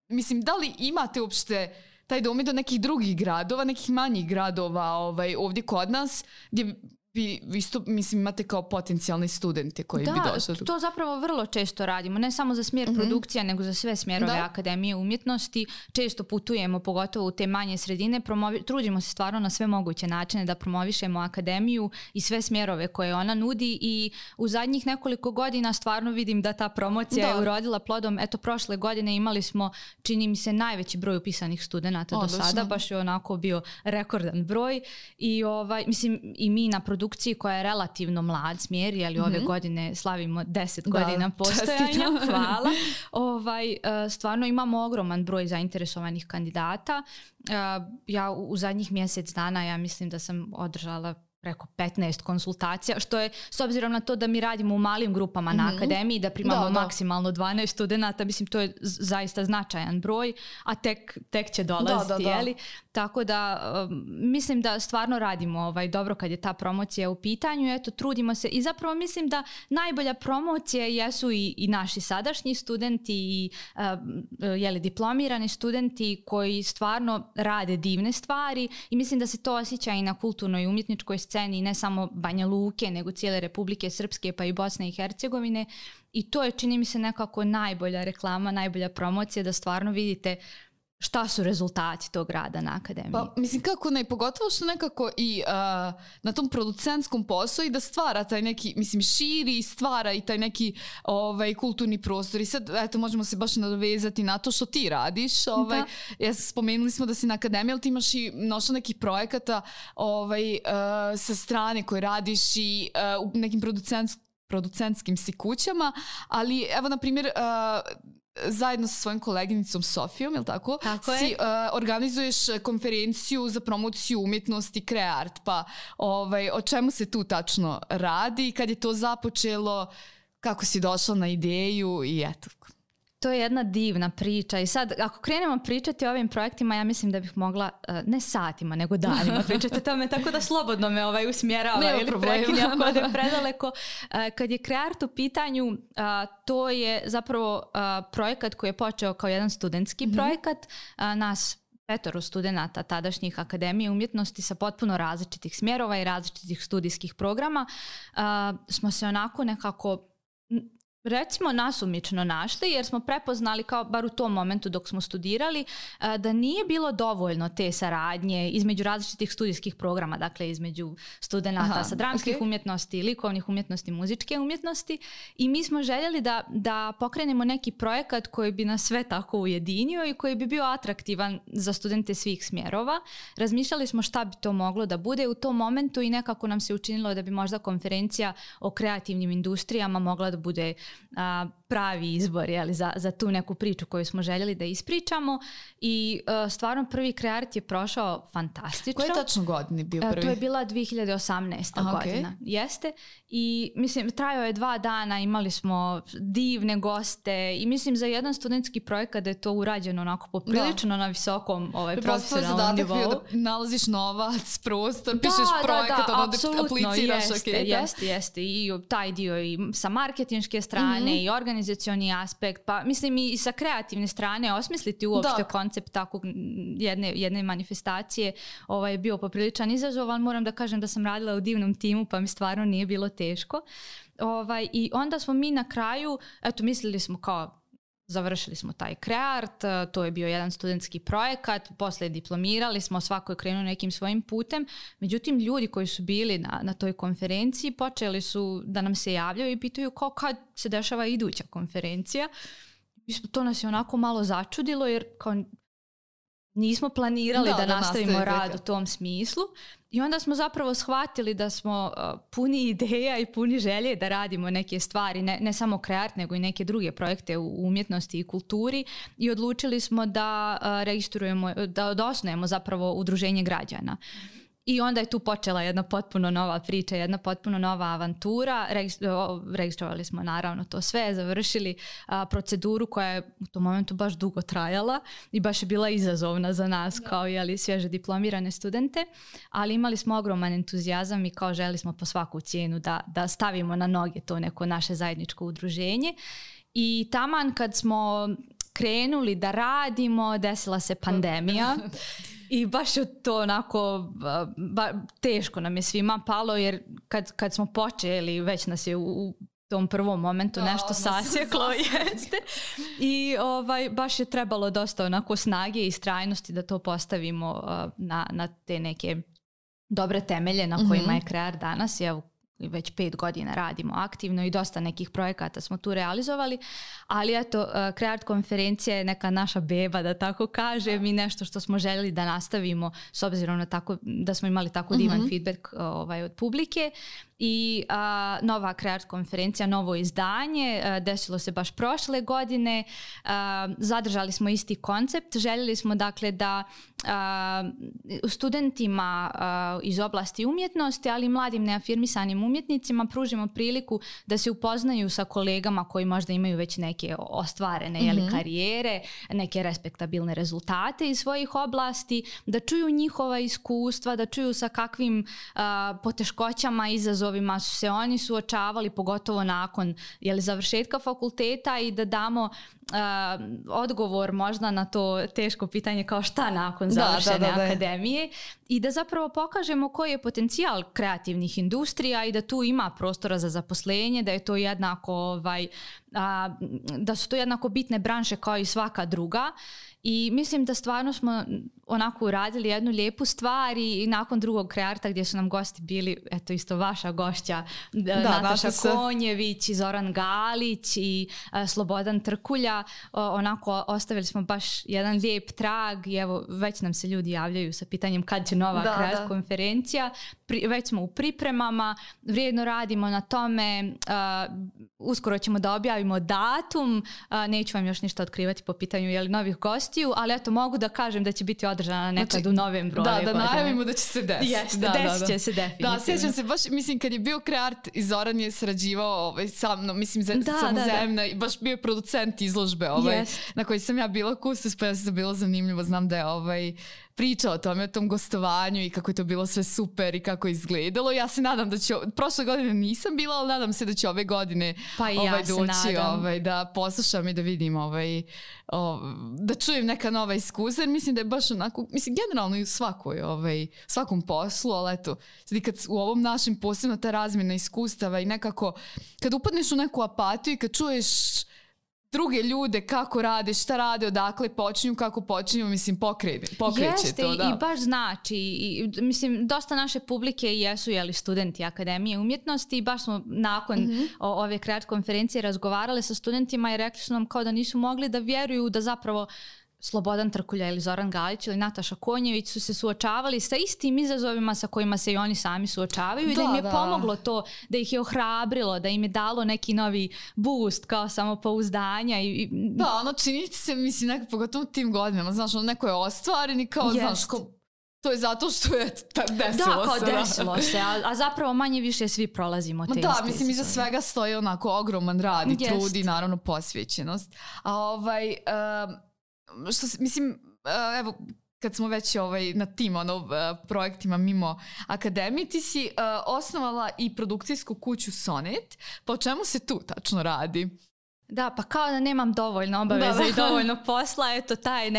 mislim, da li imate uopšte taj dom do nekih drugih gradova, nekih manjih gradova ovdje kod nas, gdje vi isto, mislim, imate kao potencijalni studente koji bi došli? Da, to zapravo vrlo često radimo, ne samo za smjer produkcija, nego za sve smjerove Akademije umjetnosti. Često putujemo, pogotovo u te manje sredine, trudimo se stvarno na sve moguće načine da promovišemo Akademiju i sve smjerove koje ona nudi i u zadnjih nekoliko godina stvarno vidim da ta promocija je urodila plodom. Eto, prošle godine imali smo, čini mi se, najveći broj upisanih studenata do sada, baš je onako bio rekordan broj i mislim i mi na produkciji koja je relativno mlad smjer, jer ove godine slavimo 10 godina postojanja, hvala. Stvarno imamo ogroman broj zainteresovanih kandidata. Ja u zadnjih mjesec dana, ja mislim da sam održala preko 15 konsultacija, što je, s obzirom na to da mi radimo u malim grupama na akademiji, da primamo maksimalno 12 studenata, mislim, to je zaista značajan broj, a tek će dolaziti, jeli? Tako da mislim da stvarno radimo dobro kad je ta promocija u pitanju, eto, trudimo se i zapravo mislim da najbolja promocija jesu i naši sadašnji studenti i diplomirani studenti koji stvarno rade divne stvari i mislim da se to osjeća i na kulturnoj i umjetničkoj sceni, ne samo Banja Luke, nego cijele Republike Srpske pa i Bosne i Hercegovine, i to je, čini mi se, nekako najbolja reklama, najbolja promocija, da stvarno vidite šta su rezultati tog rada na akademiji. Pa, mislim, kako ne, pogotovo što nekako i na tom producentskom poslu i da stvara taj neki, mislim, širi i stvara i taj neki kulturni prostor. I sad, eto, možemo se baš nadovezati na to što ti radiš. Spomenuli smo da si na akademiji, ali ti imaš i mnoštvo nekih projekata sa strane koje radiš i u nekim producentskim si kućama, ali evo, na primjer, zajedno sa svojom koleginicom Sofijom, jel tako? Tako si organizuješ konferenciju za promociju umjetnosti Kreart, pa o čemu se tu tačno radi, kad je to započelo, kako si došla na ideju i eto. To je jedna divna priča i sad ako krenemo pričati o ovim projektima, ja mislim da bih mogla ne satima nego danima pričati o tome, tako da slobodno me usmjerava ili prekinja ako ode predaleko. Kad je Kreart u pitanju, to je zapravo projekat koji je počeo kao jedan studentski projekat. Nas 5 studenata tadašnjih Akademije umjetnosti sa potpuno različitih smjerova i različitih studijskih programa smo se onako nekako, recimo, nasumično našli, jer smo prepoznali, kao bar u tom momentu dok smo studirali, da nije bilo dovoljno te saradnje između različitih studijskih programa, dakle između studenata sa dramskih umjetnosti, likovnih umjetnosti, muzičke umjetnosti, i mi smo željeli da pokrenemo neki projekat koji bi nas sve tako ujedinio i koji bi bio atraktivan za studente svih smjerova. Razmišljali smo šta bi to moglo da bude u tom momentu i nekako nam se učinilo da bi možda konferencija o kreativnim industrijama mogla da bude pravi izbor, jeli, za tu neku priču koju smo željeli da ispričamo, i stvarno prvi Kreart je prošao fantastično. Koje tačno godine bio prvi? To je bila 2018. godina. Jeste. I mislim, trajao je 2 dana, imali smo divne goste i mislim za jedan studentski projekat da je to urađeno onako poprilično na visokom profesionalnom nivou. Bio da nalaziš novac, prostor, pišeš projekat, apliciraš. Jeste. I taj dio i sa marketinške strane i organizacioni aspekt, pa mislim i sa kreativne strane osmisliti uopšte koncept takvog jedne manifestacije je bio popriličan izazov, ali moram da kažem da sam radila u divnom timu, pa mi stvarno nije bilo teško. I onda smo mi na kraju, eto, mislili smo kao završili smo taj Kreart, to je bio jedan studentski projekat, poslije diplomirali smo, svako je krenuo nekim svojim putem, međutim ljudi koji su bili na toj konferenciji počeli su da nam se javljaju i pitaju kao kad se dešava iduća konferencija. To nas je onako malo začudilo jer kao nismo planirali da nastavimo rad u tom smislu, i onda smo zapravo shvatili da smo puni ideja i puni želje da radimo neke stvari, ne samo Kreart nego i neke druge projekte u umjetnosti i kulturi, i odlučili smo da registrujemo, da osnujemo zapravo udruženje građana. I onda je tu počela jedna potpuno nova priča, jedna potpuno nova avantura. Registrovali smo naravno to sve, završili proceduru koja je u tom momentu baš dugo trajala i baš je bila izazovna za nas kao svježe diplomirane studente, ali imali smo ogroman entuzijazam i kao želi smo po svaku cijenu da stavimo na noge to neko naše zajedničko udruženje. I taman kad smo krenuli da radimo, desila se pandemija. I baš je to onako, teško nam je svima palo, jer kad smo počeli, već nas je u tom prvom momentu nešto sasjeklo. Jeste. I baš je trebalo dosta onako snage i istrajnosti da to postavimo na te neke dobre temelje na kojima je Kreart danas. Već 5 godina radimo aktivno i dosta nekih projekata smo tu realizovali, ali eto, Kreart konferencija je neka naša beba, da tako kažem, i nešto što smo željeli da nastavimo s obzirom na tako, da smo imali tako divan feedback od publike. i nova Kreart konferencija, novo izdanje, desilo se baš prošle godine. Zadržali smo isti koncept, željeli smo dakle da studentima iz oblasti umjetnosti, ali i mladim neafirmisanim umjetnicima pružimo priliku da se upoznaju sa kolegama koji možda imaju već neke ostvarene karijere, neke respektabilne rezultate iz svojih oblasti, da čuju njihova iskustva, da čuju sa kakvim poteškoćama i izazovima su se oni suočavali, pogotovo nakon završetka fakulteta, i da damo odgovor možda na to teško pitanje kao šta nakon završene akademije, i da zapravo pokažemo koji je potencijal kreativnih industrija i da tu ima prostora za zaposlenje, da je to jednako da su to jednako bitne branše kao i svaka druga. I mislim da stvarno smo onako uradili jednu lijepu stvar, i nakon drugog Krearta gdje su nam gosti bili, eto isto vaša gošća, Nataša Konjević i Zoran Galić i Slobodan Trkulja, onako ostavili smo baš jedan lijep trag, i evo već nam se ljudi javljaju sa pitanjem kad će nova Kreart konferencija. Već smo u pripremama, vrijedno radimo na tome, uskoro ćemo da objavimo datum, neću vam još ništa otkrivati po pitanju novih gostiju, ali eto mogu da kažem da će biti održana nekad u novembru. Da najavimo da će se desiti. Desit će se definitivno. Da, sjećam se baš, mislim kad je bio Kreart i Zoran je sarađivao sa mnom, mislim samozemna, i baš bio je producent izložbe na kojoj sam ja bila kustos, pa ja se to bilo zanimljivo, znam da je pričao o tome, o tom gostovanju i kako je to bilo sve super i kako je izgledalo. Ja se nadam da će, prošle godine nisam bila, ali nadam se da će ove godine doći da poslušam i da vidim da čujem neka nova iskustva, jer mislim da je baš onako, mislim generalno i u svakom poslu, ali eto, kad u ovom našem posebno ta razmjena iskustava i nekako kad upadneš u neku apatiju i kad čuješ druge ljude kako rade, šta rade, odakle počinju, kako počinju, mislim, pokreće to. I baš znači, mislim, dosta naše publike jesu studenti Akademije umjetnosti, i baš smo nakon ove Kreart konferencije razgovarali sa studentima i rekli su nam kao da nisu mogli da vjeruju da zapravo Slobodan Trkulja ili Zoran Galić ili Nataša Konjević su se suočavali sa istim izazovima sa kojima se i oni sami suočavaju, i da im je pomoglo to, da ih je ohrabrilo, da im je dalo neki novi boost kao samopouzdanja. Da, čini se, mislim, pogotovo u tim godinama, znaš, neko je ostvaren i kao, znaš, to je zato što je desilo se. A zapravo manje više svi prolazimo te iste. Mislim, iza svega stoji onako ogroman rad i trud i naravno posvećenost. Mislim, evo, kad smo već na tim projektima mimo akademije, ti si osnovala i produkcijsku kuću Sonet, pa o čemu se tu tačno radi? Da, pa kao da nemam dovoljno obaveza i dovoljno posla, eto taj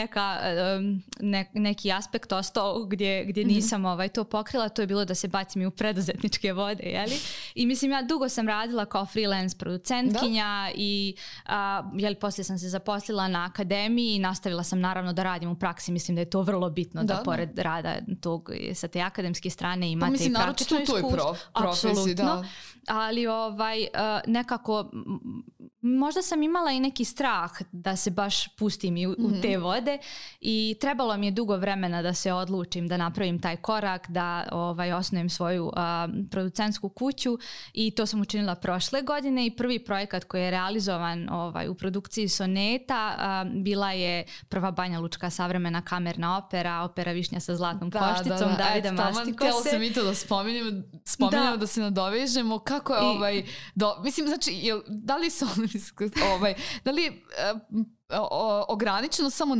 neki aspekt ostao gdje nisam to pokrila, to je bilo da se bacim i u preduzetničke vode, jeli? I mislim, ja dugo sam radila kao freelance producentkinja i poslije sam se zaposlila na akademiji i nastavila sam naravno da radim u praksi. Mislim da je to vrlo bitno da pored rada tog sa te akademske strane imate i praktično iskustvo. Apsolutno. Ali nekako možda sam imala i neki strah da se baš pustim i u te vode, i trebalo mi je dugo vremena da se odlučim da napravim taj korak, da osnujem svoju producentsku kuću, i to sam učinila prošle godine, i prvi projekat koji je realizovan u produkciji Soneta bila je prva Banjalučka savremena kamerna opera Višnja sa zlatnom košticom Davida Mastikose. Htjela sam i to da spominjamo, da se nadovežemo kako je mislim, znači, da li su da li je ograničeno samo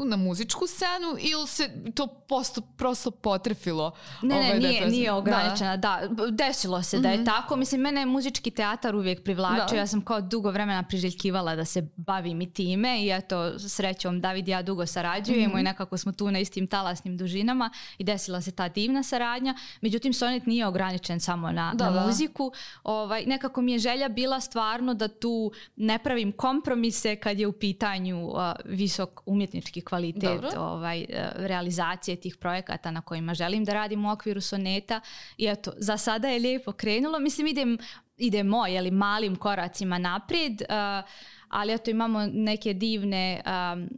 na muzičku scenu ili se to prosto potrefilo? Nije ograničena, da. Desilo se da je tako. Mislim, mene je muzički teatar uvijek privlačio. Ja sam kao dugo vremena priželjkivala da se bavim i time, i eto, srećom David i ja dugo sarađujemo i nekako smo tu na istim talasnim dužinama i desila se ta divna saradnja. Međutim, Sonet nije ograničen samo na muziku. Nekako mi je želja bila stvarno da tu ne pravim kompromise kad je u pitanju visok umjetnički kvalitet realizacije tih projekata na kojima želim da radim u okviru Soneta. I eto, za sada je lijepo krenulo. Mislim, idem idemo malim koracima naprijed, ali eto imamo neke divne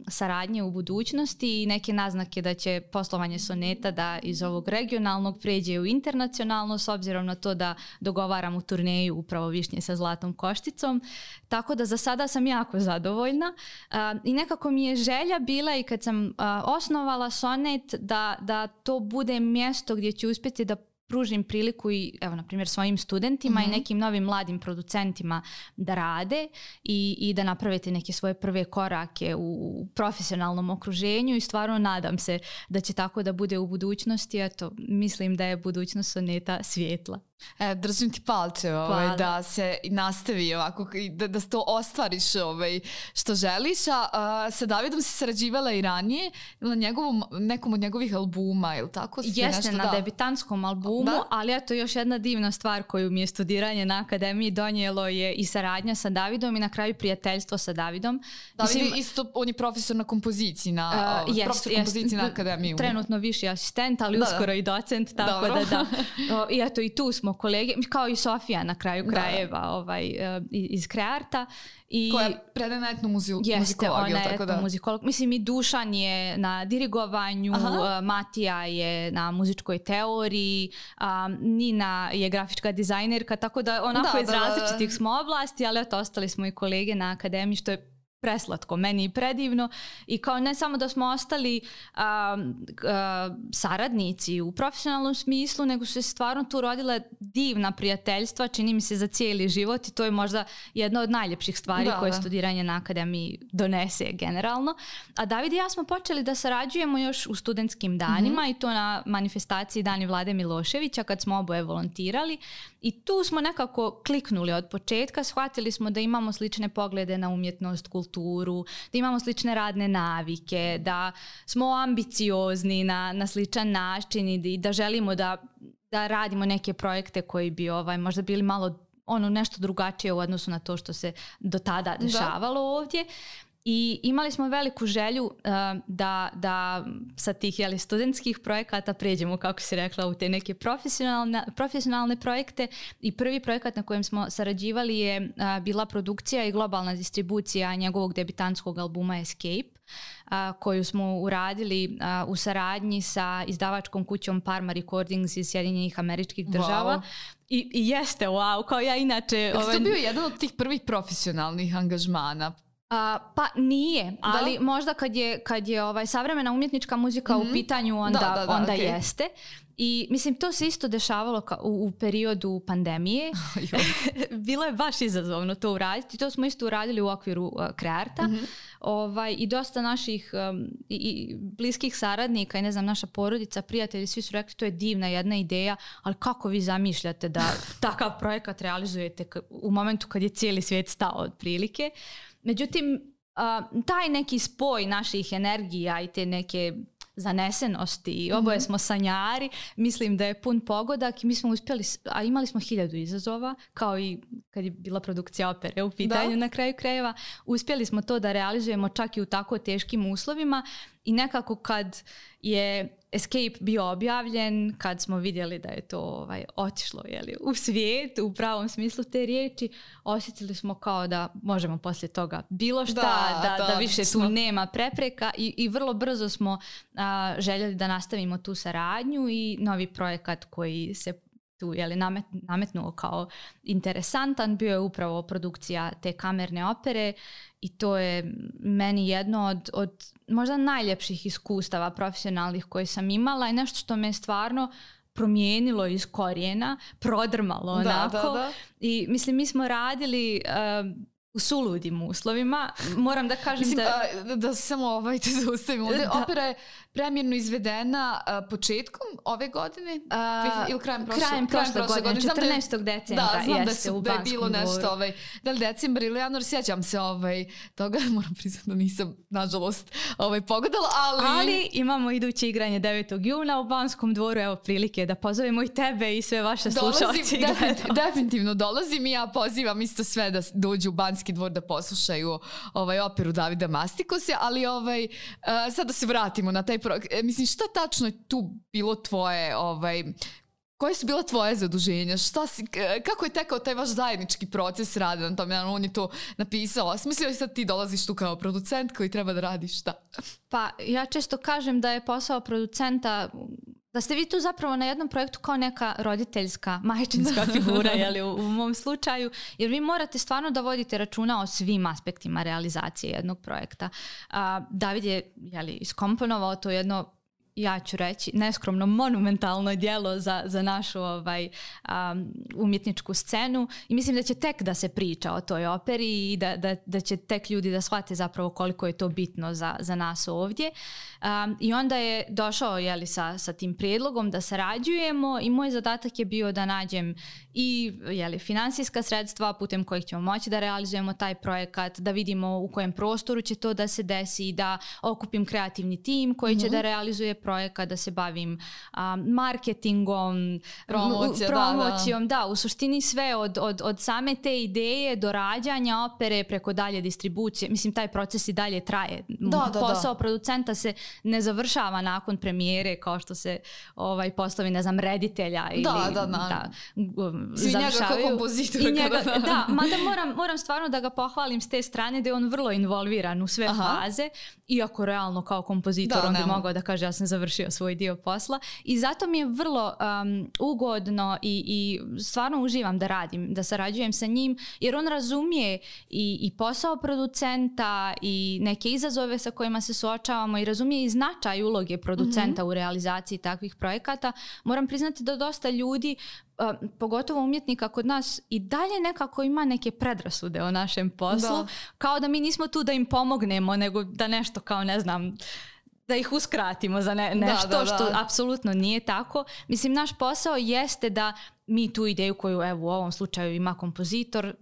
saradnje u budućnosti i neke naznake da će poslovanje Soneta da iz ovog regionalnog pređe u internacionalno, s obzirom na to da dogovaramo turneju upravo Višnje sa zlatnom košticom. Tako da za sada sam jako zadovoljna i nekako mi je želja bila i kad sam osnovala Sonet da to bude mjesto gdje ću uspjeti da pružim priliku i evo na primjer svojim studentima i nekim novim mladim producentima da rade i da napravite neke svoje prve korake u profesionalnom okruženju i stvarno nadam se da će tako da bude u budućnosti. Eto, mislim da je budućnost Soneta svijetla. Držim ti palče da se nastavi ovako, da to ostvariš što želiš. Sa Davidom si sarađivala i ranije na nekom od njegovih albuma ili tako? Jeste, na debitantskom albumu, ali eto još jedna divna stvar koju mi je studiranje na akademiji donijelo je i saradnja sa Davidom i na kraju prijateljstvo sa Davidom. David isto, on je profesor na kompoziciji na akademiji. Trenutno viši asistent, ali uskoro i docent, tako da. I eto i tu smo kolege, kao i Sofija na kraju krajeva iz Krearta. Koja predaje na etnomuzikologiju. Jeste, ona je etnomuzikolog. Mislim i Dušan je na dirigovanju, Matija je na muzičkoj teoriji, Nina je grafička dizajnerka, tako da onako iz različitih smo oblasti, ali eto ostali smo i kolege na akademiji, što je preslatko, meni i predivno i kao ne samo da smo ostali saradnici u profesionalnom smislu, nego su se stvarno tu rodile divna prijateljstva, čini mi se za cijeli život i to je možda jedna od najljepših stvari koje studiranje na akademiji donese generalno. A David i ja smo počeli da sarađujemo još u studentskim danima i to na manifestaciji Dani Vlade Miloševića kad smo oboje volontirali i tu smo nekako kliknuli od početka, shvatili smo da imamo slične poglede na umjetnost, kulturu, da imamo slične radne navike, da smo ambiciozni na sličan način i da želimo da radimo neke projekte koji bi možda bili malo nešto drugačije u odnosu na to što se do tada dešavalo ovdje. I imali smo veliku želju da sa tih studentskih projekata pređemo, kako si rekla, u te neke profesionalne projekte i prvi projekat na kojem smo sarađivali je bila produkcija i globalna distribucija njegovog debitantskog albuma Escape, koju smo uradili u saradnji sa izdavačkom kućom Parma Recordings iz Sjedinjenih Američkih Država. Wow. I jeste, kao ja inače... To bio jedan od tih prvih profesionalnih angažmana. Pa nije, ali možda kad je savremena umjetnička muzika u pitanju, onda jeste. I mislim, to se isto dešavalo u periodu pandemije. Bilo je baš izazovno to uraditi. To smo isto uradili u okviru Krearta. I dosta naših i bliskih saradnika i ne znam, naša porodica, prijatelji, svi su rekli to je divna jedna ideja, ali kako vi zamišljate da takav projekat realizujete u momentu kad je cijeli svijet stao otprilike. Međutim, taj neki spoj naših energija i te neke zanesenosti i oboje smo sanjari, mislim da je pun pogodak i mi smo uspjeli, a imali smo 1000 izazova, kao i kad je bila produkcija opere u pitanju na kraju krajeva, uspjeli smo to da realizujemo čak i u tako teškim uslovima i nekako kad je Escape bio objavljen, kad smo vidjeli da je to otišlo u svijet, u pravom smislu te riječi, osjetili smo kao da možemo poslije toga bilo šta, da više tu nema prepreka i vrlo brzo smo željeli da nastavimo tu saradnju i novi projekat koji se tu nametnuo kao interesantan bio je upravo produkcija te kamerne opere i to je meni jedno od možda najljepših iskustava profesionalnih koje sam imala i nešto što me stvarno promijenilo iz korijena, prodrmalo onako. I mislim, mi smo radili u suludim uslovima. Moram da kažem da samo te zaustavim. Opera je premjerno izvedena početkom ove godine ili krajem prošle godine. 14. decembra jeste u Banskom dvoru. Da je bilo nešto, da li decembar ili januar, sjećam se toga, moram priznati da nisam nažalost pogodala, ali imamo iduće igranje 9. juna u Banskom dvoru, evo prilike da pozovemo i tebe i sve vaše slušalci. Definitivno dolazim i ja pozivam isto sve da dođu u Banski dvor da poslušaju operu Davida Mastikose, ali sad da se vratimo na taj mislim, šta tačno je tu bilo tvoje Koje su bila tvoje zaduženja? Kako je tekao taj vaš zajednički proces rada na tom? On je to napisao. Smislio je sad ti dolaziš tu kao producent koji treba da radiš šta? Pa ja često kažem da je posao producenta, da ste vi tu zapravo na jednom projektu kao neka roditeljska, majčinska figura, jeli, u mom slučaju, jer vi morate stvarno da vodite računa o svim aspektima realizacije jednog projekta. David je iskomponovao to jedno, ja ću reći, neskromno monumentalno djelo za našu umjetničku scenu i mislim da će tek da se priča o toj operi i da će tek ljudi da shvate zapravo koliko je to bitno za nas ovdje. I onda je došao sa tim prijedlogom da sarađujemo i moj zadatak je bio da nađem i finansijska sredstva putem kojih ćemo moći da realizujemo taj projekat, da vidimo u kojem prostoru će to da se desi, da okupim kreativni tim koji će da realizuje projekat, da se bavim marketingom, promocijom, da, u suštini sve od same te ideje do rađanja opere preko dalje distribucije. Mislim, taj proces i dalje traje. Posao producenta se ne završava nakon premijere kao što se poslovi, ne znam, reditelja ili svi njega kao kompozitora. Da, mada moram stvarno da ga pohvalim s te strane da je on vrlo involviran u sve faze, iako realno kao kompozitor on bi mogao da kaže ja sam završio svoj dio posla i zato mi je vrlo ugodno i stvarno uživam da radim, da sarađujem sa njim jer on razumije i posao producenta i neke izazove sa kojima se suočavamo i razumije i značaj uloge producenta u realizaciji takvih projekata. Moram priznati da dosta ljudi, pogotovo umjetnika kod nas, i dalje nekako ima neke predrasude o našem poslu, kao da mi nismo tu da im pomognemo, nego da nešto kao, ne znam, da ih uskratimo za nešto što apsolutno nije tako. Mislim, naš posao jeste da mi tu ideju koju u ovom slučaju ima kompozitor,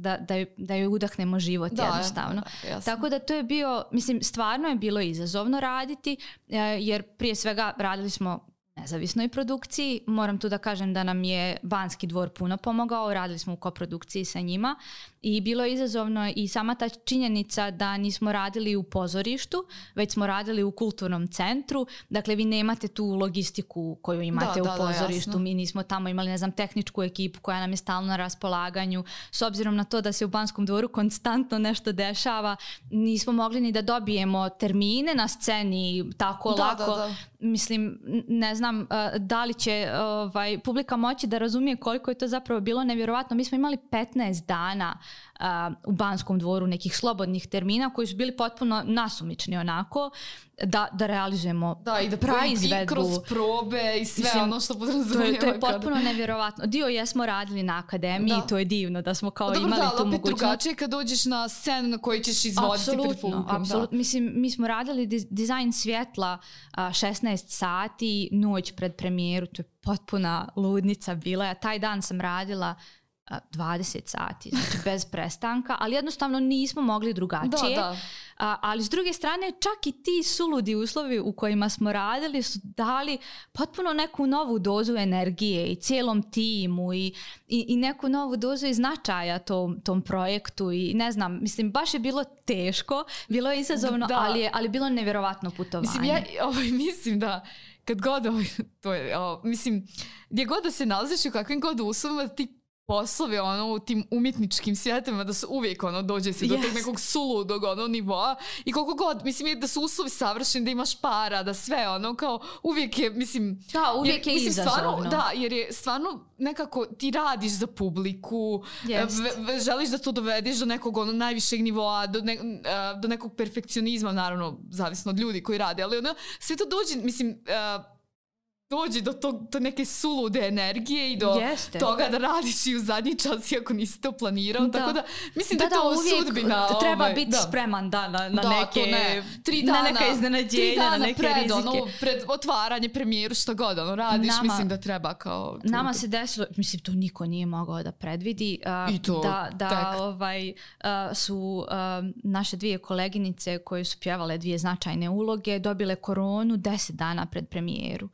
da joj udahnemo život jednostavno. Tako da to je bio, mislim, stvarno je bilo izazovno raditi, jer prije svega radili smo nezavisnoj produkciji. Moram tu da kažem da nam je Banski dvor puno pomogao, radili smo u koprodukciji sa njima i bilo je izazovno i sama ta činjenica da nismo radili u pozorištu, već smo radili u kulturnom centru. Dakle, vi nemate tu logistiku koju imate u pozorištu. Jasno. Mi nismo tamo imali, ne znam, tehničku ekipu koja nam je stalno na raspolaganju. S obzirom na to da se u Banskom dvoru konstantno nešto dešava, nismo mogli ni da dobijemo termine na sceni tako lako. Mislim, ne znam da li će publika moći da razumije koliko je to zapravo bilo nevjerovatno. Mi smo imali 15 dana u Banskom dvoru nekih slobodnih termina koji su bili potpuno nasumični onako da realizujemo i da praizvedbu. I kroz probe i sve. Mislim, ono što podrazumijeva. To je potpuno nevjerovatno. Dio jesmo radili na akademiji, to je divno da smo kao imali tu mogućnost. Drugačije kad dođeš na scenu na koji ćeš izvoditi pred publikom. Apsolutno. Mislim, mi smo radili dizajn svjetla 16 sati, noć pred premijeru, to je potpuna ludnica bila. Ja taj dan sam radila 20 sati, znači bez prestanka, ali jednostavno nismo mogli drugačije. Ali s druge strane, čak i ti suludi uslovi u kojima smo radili su dali potpuno neku novu dozu energije i cijelom timu i neku novu dozu i značaja tom projektu i ne znam, mislim, baš je bilo teško, bilo je izazovno, ali bilo nevjerovatno putovanje. Mislim da kad god mislim, gdje god da se nalaziš i u kakvim god uslovima ti poslovi u tim umjetničkim svijetima da su uvijek dođe se do tog nekog suludog nivoa i koliko god, mislim, da su uslovi savršeni, da imaš para, da sve kao uvijek je, mislim... Da, uvijek je izazovno. Jer je stvarno nekako ti radiš za publiku, želiš da to dovedeš do nekog najvišeg nivoa, do nekog perfekcionizma, naravno, zavisno od ljudi koji rade, ali sve to dođe, mislim... dođi do neke sulude energije i do toga da radiš i u zadnji čas iako nisi to planirao, tako da mislim da je to sudbina. Treba biti spreman na neke na neka iznenađenja, na neke rizike. Pred otvaranje premijeru što god radiš, mislim da treba kao... Nama se desilo, mislim to niko nije mogao da predvidi, su naše dvije koleginice koje su pjevale dvije značajne uloge dobile koronu 10 dana pred premijeru.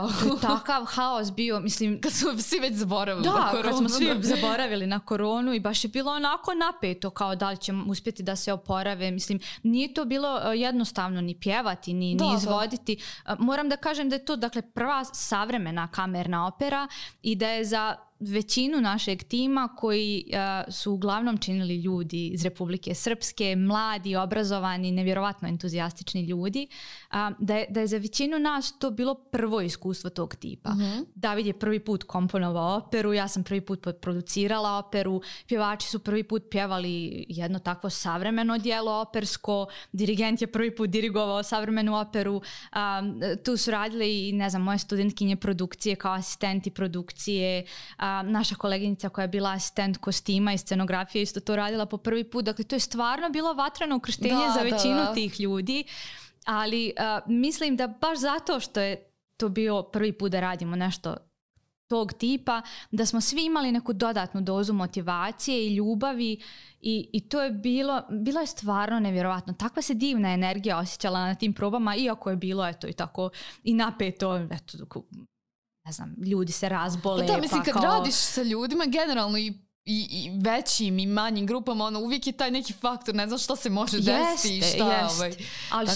To je takav haos bio, mislim... Kad smo svi već zaboravili na koronu. Da, kad smo svi zaboravili na koronu i baš je bilo onako napeto kao da li ćemo uspjeti da se oporave. Mislim, nije to bilo jednostavno ni pjevati, ni izvoditi. Moram da kažem da je to prva savremena kamerna opera i da je za većinu našeg tima koji su uglavnom činili ljudi iz Republike Srpske, mladi, obrazovani, nevjerovatno entuzijastični ljudi, da je za većinu nas to bilo prvo iskustvo tog tipa. David je prvi put komponovao operu, ja sam prvi put producirala operu, pjevači su prvi put pjevali jedno takvo savremeno djelo opersko, dirigent je prvi put dirigovao savremenu operu, tu su radili i moje studentkinje produkcije kao asistenti produkcije, naša koleginica koja je bila asistent kostima i scenografije isto to radila po prvi put. Dakle, to je stvarno bilo vatreno ukrštenje za većinu tih ljudi, ali mislim da baš zato što je to bio prvi put da radimo nešto tog tipa, da smo svi imali neku dodatnu dozu motivacije i ljubavi i to je bilo je stvarno nevjerovatno. Takva se divna energija osjećala na tim probama, iako je bilo i tako i napeto, ljudi se razbole. Da, mislim, kad radiš sa ljudima, generalno i većim i manjim grupama, uvijek je taj neki faktor, ne znam što se može desiti i šta. Ali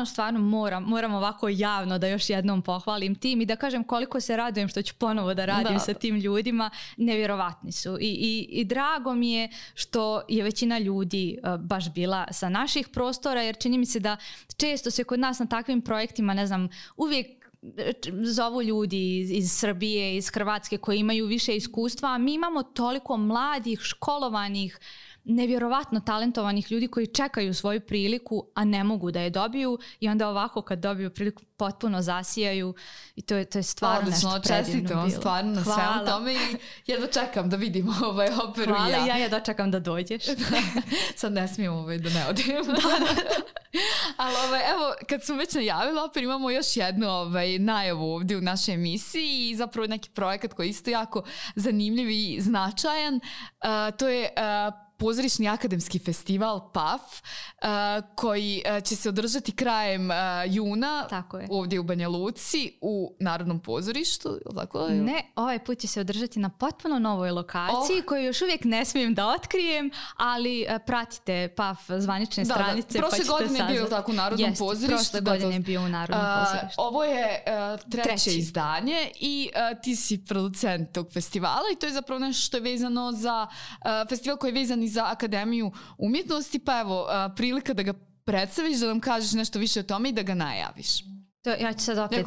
stvarno moram ovako javno da još jednom pohvalim tim i da kažem koliko se radujem što ću ponovo da radim sa tim ljudima. Nevjerovatni su i drago mi je što je većina ljudi baš bila sa naših prostora, jer čini mi se da često se kod nas na takvim projektima, uvijek zovu ljudi iz Srbije, iz Hrvatske koji imaju više iskustva, a mi imamo toliko mladih, školovanih, nevjerovatno talentovanih ljudi koji čekaju svoju priliku, a ne mogu da je dobiju i onda ovako kad dobiju priliku potpuno zasijaju i to je stvarno nešto predivno bilo. Stvarno na svemu tome i jedva čekam da vidimo operu. Hvala, ja jedva čekam da dođeš. Sad ne smijem da ne odim. Ali evo, kad smo već najavili operu, imamo još jednu najavu ovdje u našoj emisiji i zapravo neki projekat koji je isto jako zanimljiv i značajan. To je pozorišni akademski festival PAF koji će se održati krajem juna ovdje u Banja Luci u Narodnom pozorištu. Ne, ovaj put će se održati na potpuno novoj lokaciji koju još uvijek ne smijem da otkrijem, ali pratite PAF zvanične stranice. Prošle godine je bio tako u Narodnom pozorištu. Prošle godine je bio u Narodnom pozorištu. Ovo je treće izdanje i ti si producent tog festivala i to je zapravo nešto što je vezano za festival koji je vezan i za Akademiju umjetnosti, pa evo, prilika da ga predstaviš, da nam kažeš nešto više o tome i da ga najaviš. Ja ću sad opet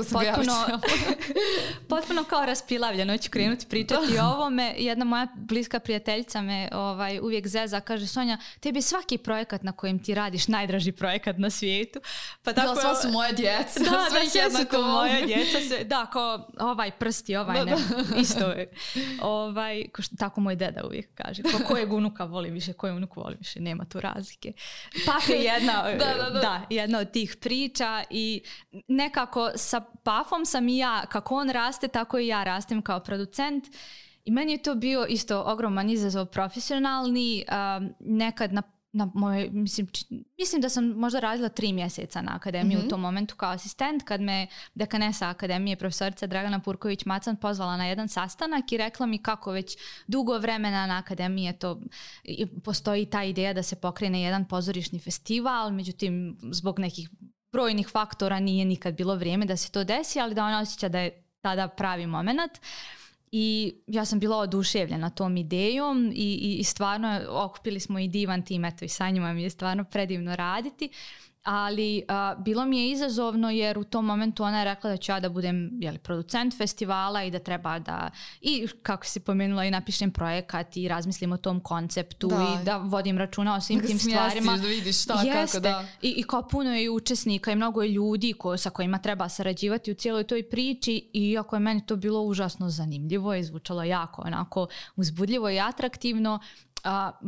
potpuno kao raspilavljeno ću krenuti pričati o ovome. Jedna moja bliska prijateljica me uvijek zeza, kaže: Sonja, tebi je svaki projekat na kojem ti radiš najdraži projekat na svijetu. Pa tako, sva su moja djeca. Sve su moja djeca. Da, kao ovaj prsti, ne. Isto je. Tako moj deda uvijek kaže. Kojeg unuka voli više, koji unuk voli više. Nema tu razlike. PAF je jedna od tih priča i nekako sa PAF-om sam i ja, kako on raste, tako i ja rastem kao producent. I meni je to bio isto ogroman izazov profesionalni. Nekad na moje, mislim da sam možda radila 3 mjeseca na akademiji u tom momentu kao asistent, kad me dekanesa akademije, profesorica Dragana Purković-Macan, pozvala na jedan sastanak i rekla mi kako već dugo vremena na akademiji postoji ta ideja da se pokrene jedan pozorišni festival, međutim zbog nekih brojnih faktora nije nikad bilo vrijeme da se to desi, ali da ona osjeća da je tada pravi moment. I ja sam bila oduševljena tom idejom i stvarno okupili smo i divan tim, i sa njima mi je stvarno predivno raditi. Ali bilo mi je izazovno jer u tom momentu ona je rekla da ću ja da budem producent festivala i da treba da, i kako si pomenula, i napišem projekat i razmislim o tom konceptu i da vodim računa o svim tim stvarima. Da vidiš šta, kako da. I kao puno je učesnika i mnogo je ljudi sa kojima treba sarađivati u cijeloj toj priči, i iako je meni to bilo užasno zanimljivo i zvučalo jako onako uzbudljivo i atraktivno,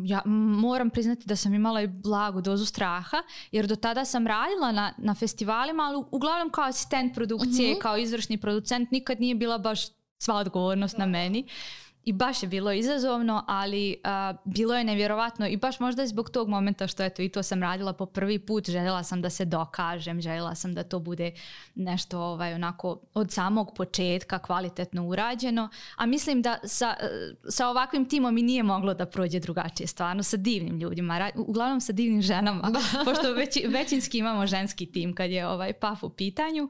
ja moram priznati da sam imala i blagu dozu straha, jer do tada sam radila na festivalima, ali uglavnom kao asistent produkcije, kao izvršni producent, nikad nije bila baš sva odgovornost na meni. i baš je bilo izazovno, ali bilo je nevjerovatno i baš možda zbog tog momenta što eto i to sam radila po prvi put, željela sam da se dokažem, željela sam da to bude nešto onako od samog početka kvalitetno urađeno, a mislim da sa ovakvim timom i nije moglo da prođe drugačije, stvarno sa divnim ljudima, uglavnom sa divnim ženama, pošto većinski imamo ženski tim kad je PAF u pitanju.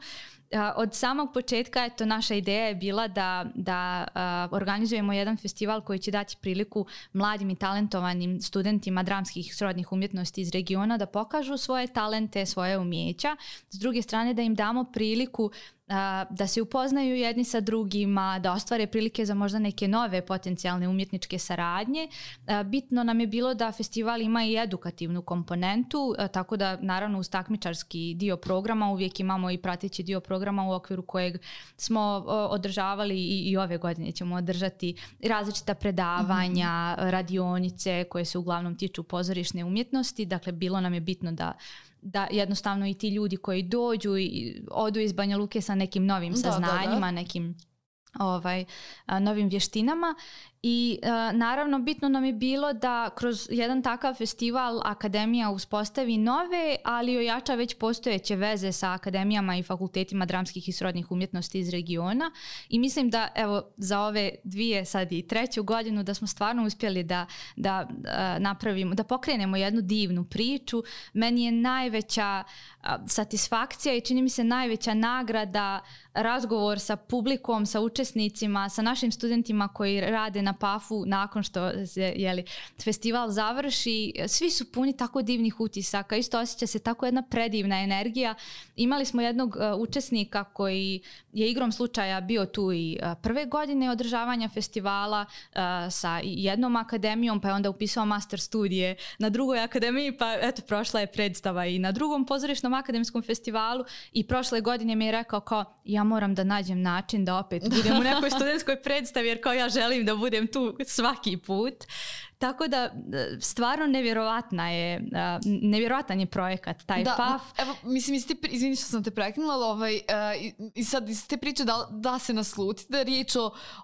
Od samog početka eto, naša ideja je bila da organizujemo jedan festival koji će dati priliku mladim i talentovanim studentima dramskih i srodnih umjetnosti iz regiona da pokažu svoje talente, svoje umjeća. S druge strane da im damo priliku da se upoznaju jedni sa drugima, da ostvare prilike za možda neke nove potencijalne umjetničke saradnje. Bitno nam je bilo da festival ima i edukativnu komponentu, tako da naravno uz takmičarski dio programa uvijek imamo i prateći dio programa u okviru kojeg smo održavali i ove godine ćemo održati različita predavanja, radionice koje se uglavnom tiču pozorišne umjetnosti. Dakle, bilo nam je bitno da jednostavno i ti ljudi koji dođu i odu iz Banja Luke sa nekim novim saznanjima, nekim novim vještinama. I naravno bitno nam je bilo da kroz jedan takav festival akademija uspostavi nove, ali ojača već postojeće veze sa akademijama i fakultetima dramskih i srodnih umjetnosti iz regiona. I mislim da evo za ove 2, sad i 3. godinu da smo stvarno uspjeli da napravimo, da pokrenemo jednu divnu priču. Meni je najveća satisfakcija i čini mi se najveća nagrada razgovor sa publikom, sa učesnicima, sa našim studentima koji rade na PAF-u nakon što se festival završi. Svi su puni tako divnih utisaka, isto osjeća se tako jedna predivna energija. Imali smo jednog učesnika koji je igrom slučaja bio tu i prve godine održavanja festivala sa jednom akademijom, pa je onda upisao master studije na drugoj akademiji, pa eto prošla je predstava i na drugom pozorišnom akademskom festivalu i prošle godine mi je rekao kao ja moram da nađem način da opet budem u nekoj studentskoj predstavi jer kao ja želim da budem tu svaki put. Tako da stvarno nevjerojatan je projekat taj PAF. Evo, mislim, izvini što sam te prekinula, i sad iz te priče da se nasluti da je riječ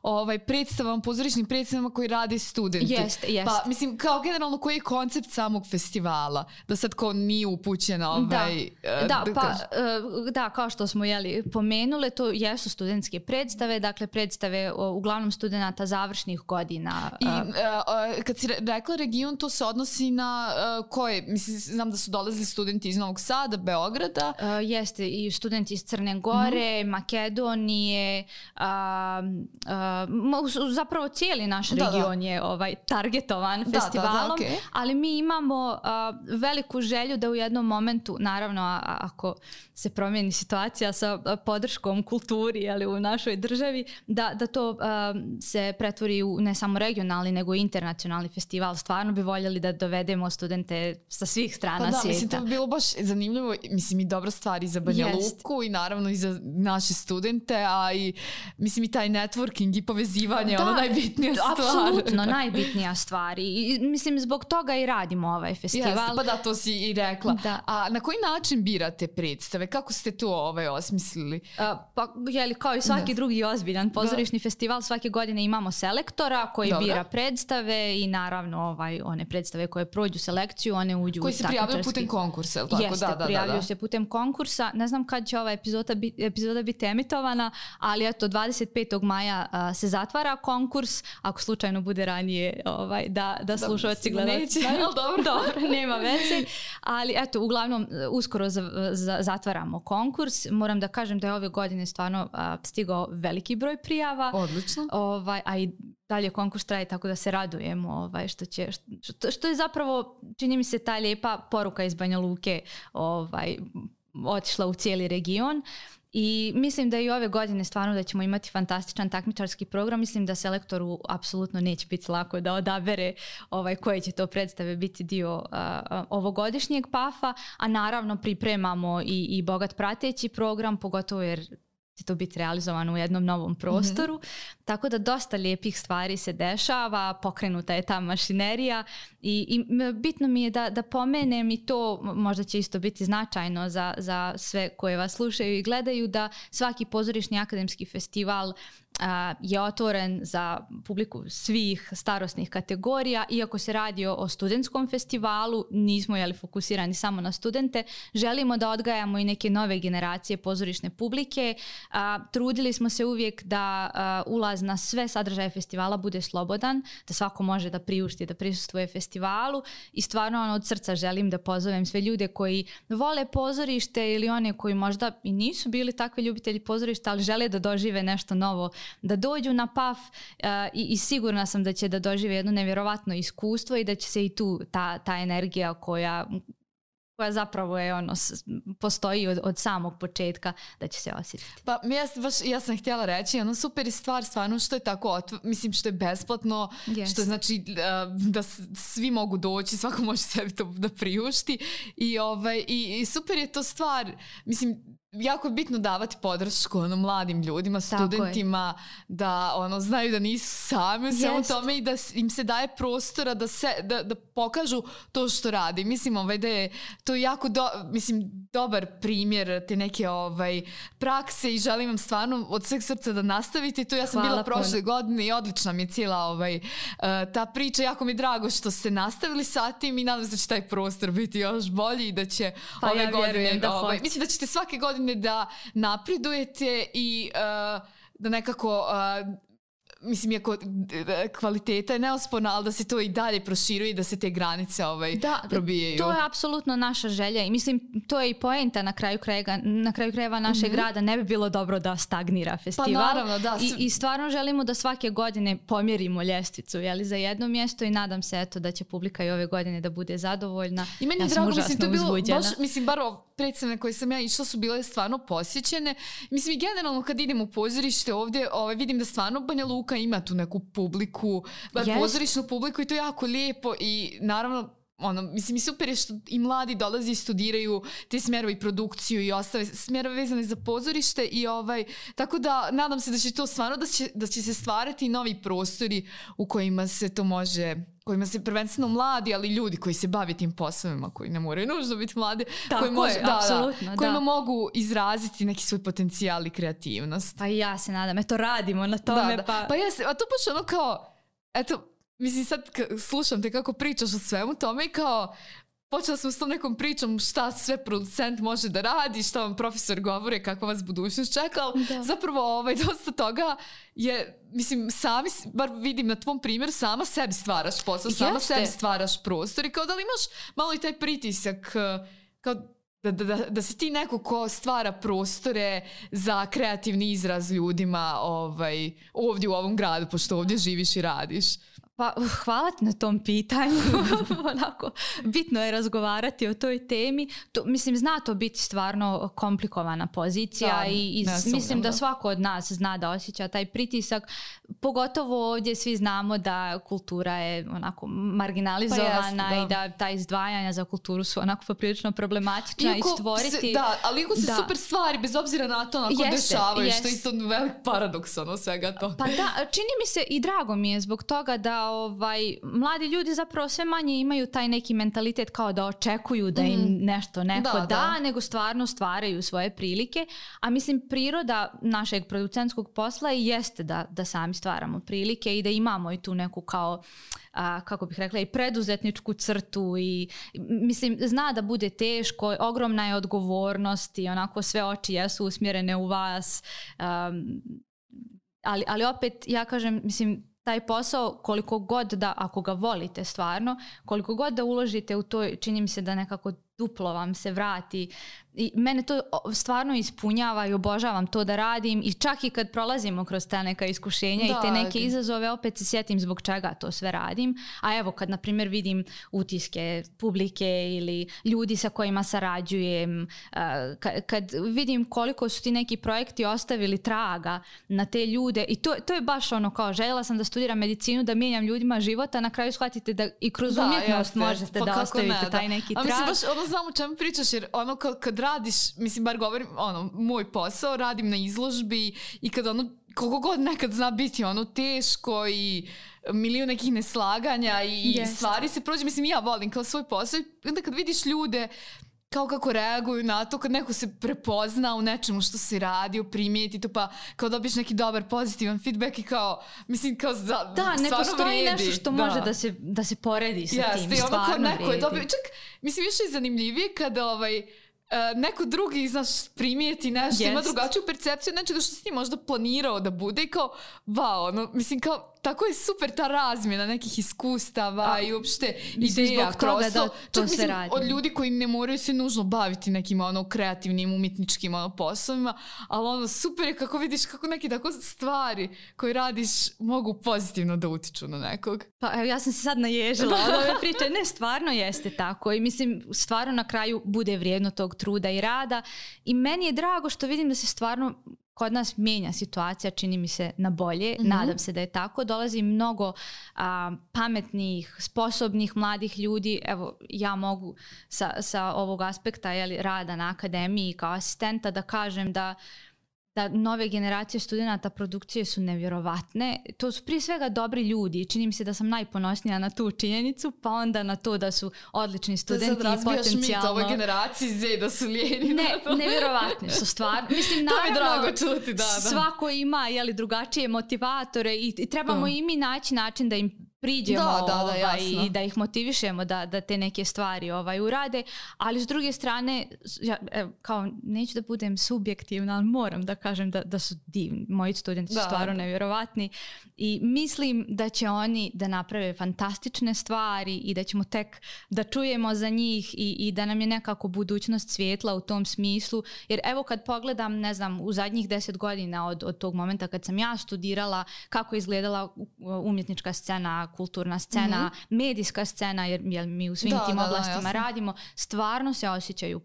o predstavama, pozorišnim predstavama koji rade studenti. Jest. Pa mislim, kao generalno koji je koncept samog festivala? Da sad ko nije upućen Da, kao što smo pomenule, to jesu studentske predstave, dakle predstave uglavnom studenata završnih godina. I kad si rekla region, to se odnosi na koje? Mislim, znam da su dolazili studenti iz Novog Sada, Beograda. Jeste, i studenti iz Crne Gore, Makedonije, zapravo cijeli naš region je targetovan festivalom, okay. Ali mi imamo veliku želju da u jednom momentu, naravno ako se promijeni situacija sa podrškom kulturi u našoj državi, da to se pretvori u ne samo regionalni nego i internacionalni festival. Stvarno bi voljeli da dovedemo studente sa svih strana svijeta. Mislim, to bi bilo baš zanimljivo, mislim i dobra stvar i za Banja Luku i naravno i za naše studente, a i mislim i taj networking i povezivanje, ono najbitnija stvar. Apsolutno, najbitnija stvar i mislim zbog toga i radimo ovaj festival. Jeste, pa da, to si i rekla. Da. A na koji način birate predstave? Kako ste to osmislili? Pa, kao i svaki drugi ozbiljan pozorišni festival, svake godine imamo selektora koji bira predstave i naravno one predstave koje prođu selekciju, one uđu koji se prijavljaju putem konkursa, ili tako? Jeste, prijavljaju se putem konkursa. Ne znam kad će ova epizoda biti emitovana, ali eto 25. maja se zatvara konkurs, ako slučajno bude ranije da slušalci gledalci znaju. Dobro, nema veze. Ali eto, uglavnom uskoro zatvaramo konkurs. Moram da kažem da je ove godine stvarno stigao veliki broj prijava. Odlično. A i dalje konkurs traje, tako da se radujemo što je zapravo, čini mi se, ta lijepa poruka iz Banja Luke otišla u cijeli region. I mislim da i ove godine stvarno da ćemo imati fantastičan takmičarski program. Mislim da selektoru apsolutno neće biti lako da odabere koje će to predstave biti dio ovogodišnjeg PAF-a, a naravno pripremamo i bogat prateći program, pogotovo jer će to biti realizovano u jednom novom prostoru. Tako da dosta lijepih stvari se dešava, pokrenuta je ta mašinerija i bitno mi je da pomenem i to, možda će isto biti značajno za sve koje vas slušaju i gledaju, da svaki pozorišni akademski festival je otvoren za publiku svih starosnih kategorija. Iako se radi o studentskom festivalu, nismo fokusirani samo na studente. Želimo da odgajamo i neke nove generacije pozorišne publike. Trudili smo se uvijek da ulaz na sve sadržaje festivala bude slobodan, da svako može da priušti, da prisustvuje festivalu i stvarno od srca želim da pozovem sve ljude koji vole pozorište ili one koji možda i nisu bili takvi ljubitelji pozorišta, ali žele da dožive nešto novo, da dođu na PAF i sigurna sam da će da dožive jedno nevjerovatno iskustvo i da će se i tu ta energija koja zapravo je postoji od samog početka, da će se osjetiti. Pa ja sam htjela reći, super je stvar stvarno što je tako, mislim što je besplatno, što znači da svi mogu doći, svako može sebi to da priušti i super je to stvar, mislim jako je bitno davati podršku mladim ljudima, studentima, da znaju da nisu sami u svemu tome i da im se daje prostora da pokažu to što radi. Mislim da je to jako dobar primjer te neke prakse i želim vam stvarno od sveg srca da nastavite. To ja sam bila prošle godine i odlična mi je cijela ta priča. Jako mi je drago što ste nastavili sa tim i nadam se da će taj prostor biti još bolji i da će ove godine mislim da ćete svake godine da napredujete i da nekako mislim, iako kvaliteta je neosporna, ali da se to i dalje proširuje i da se te granice probijaju. To je apsolutno naša želja i mislim, to je i poenta na kraju krajeva našeg grada. Ne bi bilo dobro da stagnira festival. Pa naravno, da. I stvarno želimo da svake godine pomjerimo ljestvicu za jedno mjesto i nadam se da će publika i ove godine da bude zadovoljna. I meni je drago, mislim, to je bilo baš, mislim, bar predstavne koje sam ja išla su bile stvarno posjećene. Mislim, i generalno kad idem u pozorište ovdje, vidim da stvarno Banja Luka ima tu neku publiku, pozorišnu publiku i to je jako lijepo i naravno mislim i super je što i mladi dolazi i studiraju te smjerove i produkciju i ostale smjerove vezane za pozorište i tako da nadam se da će to stvarno da će se stvarati novi prostori u kojima se to može, kojima se prvenstveno mladi, ali ljudi koji se bave tim poslovima, koji ne moraju nužno biti mladi, kojima mogu izraziti neki svoj potencijal i kreativnost. Pa ja se nadam, radimo na tome. Pa ja se, a to baš kao, mislim sad slušam te kako pričaš o svemu tome i kao počela sam s tom nekom pričom šta sve producent može da radi, šta vam profesor govore, kakva vas budućnost čeka, ali zapravo dosta toga je, mislim, sami, bar vidim na tvom primjeru, sama sebi stvaraš posao, sama sebi stvaraš prostor i kao da li imaš malo i taj pritisak kao da si ti neko ko stvara prostore za kreativni izraz ljudima ovdje u ovom gradu, pošto ovdje živiš i radiš. Pa hvala ti na tom pitanju. Onako, bitno je razgovarati o toj temi. Mislim, zna to biti stvarno komplikovana pozicija i mislim da svako od nas zna da osjeća taj pritisak. Pogotovo ovdje svi znamo da kultura je onako marginalizovana i da ta izdvajanja za kulturu su onako poprilično problematična i stvoriti... Ali iako se super stvari, bez obzira na to dešavaju, što je isto velik paradoks svega to. Pa da, čini mi se i drago mi je zbog toga da mladi ljudi zapravo sve manje imaju taj neki mentalitet kao da očekuju da im nešto neko da, nego stvarno stvaraju svoje prilike, a mislim priroda našeg producentskog posla i jeste da sami stvaramo prilike i da imamo i tu neku kao kako bih rekla i preduzetničku crtu i mislim zna da bude teško, ogromna je odgovornost i onako sve oči jesu usmjerene u vas, ali opet ja kažem, mislim taj posao koliko god da, ako ga volite stvarno, koliko god da uložite u to, čini mi se da nekako duplo vam se vrati. I mene to stvarno ispunjava i obožavam to da radim i čak i kad prolazimo kroz ta neka iskušenja i te neke izazove, opet se sjetim zbog čega to sve radim. A evo kad na primjer vidim utiske publike ili ljudi sa kojima sarađujem, kad vidim koliko su ti neki projekti ostavili traga na te ljude i to je baš kao željela sam da studiram medicinu, da mijenjam ljudima života, na kraju shvatite da i kroz umjetnost možete da ostavite taj neki trag. A mislim baš znam o čemu pričaš jer kad radiš, mislim bar govorim, moj posao, radim na izložbi i kad koliko god nekad zna biti teško i milion nekih neslaganja i stvari se prođe, mislim ja volim kao svoj posao i onda kad vidiš ljude kao kako reaguju na to kad neko se prepozna u nečemu što se radi, primijeti to, pa kao dobiješ neki dobar pozitivan feedback i kao, mislim, kao da, ne postoji vredi. Nešto što može da se poredi sa tim, stvarno vredi. Čak, mislim, više je zanimljivije kada neko drugi, znaš, primijeti nešto, ima drugačiju percepciju nečega što si ti možda planirao da bude i kao, wow, mislim, kao, tako je super ta razmjena nekih iskustava i uopšte ideja kroz to. Čak mislim, od ljudi koji ne moraju se nužno baviti nekim kreativnim, umjetničkim poslovima, ali super je kako vidiš kako neke tako stvari koje radiš mogu pozitivno da utiču na nekog. Pa ja sam se sad naježila od ove priče. Ne, stvarno jeste tako i mislim, stvarno na kraju bude vrijedno tog truda i rada i meni je drago što vidim da se stvarno kod nas mijenja situacija, čini mi se na bolje, nadam se da je tako. Dolazi mnogo pametnih, sposobnih mladih ljudi. Evo, ja mogu sa ovog aspekta rada na akademiji kao asistenta da kažem da nove generacije studenata produkcije su nevjerovatne. To su prije svega dobri ljudi. Čini mi se da sam najponosnija na tu činjenicu, pa onda na to da su odlični studenti i potencijalno... Da sad razbijaš mit ovoj generaciji Z da su lijeni. Ne, nevjerovatni su stvarno. Mislim, naravno, to mi drago čuti, da. Svako ima drugačije motivatore i trebamo i mi naći način da im priđemo i da ih motivišemo da te neke stvari urade, ali s druge strane kao neću da budem subjektivna, ali moram da kažem da su divni, moji studenti su stvarno nevjerovatni i mislim da će oni da naprave fantastične stvari i da ćemo tek da čujemo za njih i da nam je nekako budućnost svijetla u tom smislu, jer evo kad pogledam, ne znam, u zadnjih 10 godina od tog momenta kad sam ja studirala, kako je izgledala umjetnička scena, kulturna scena, medijska scena, jer mi u svim tim oblastima radimo, stvarno se osjećaju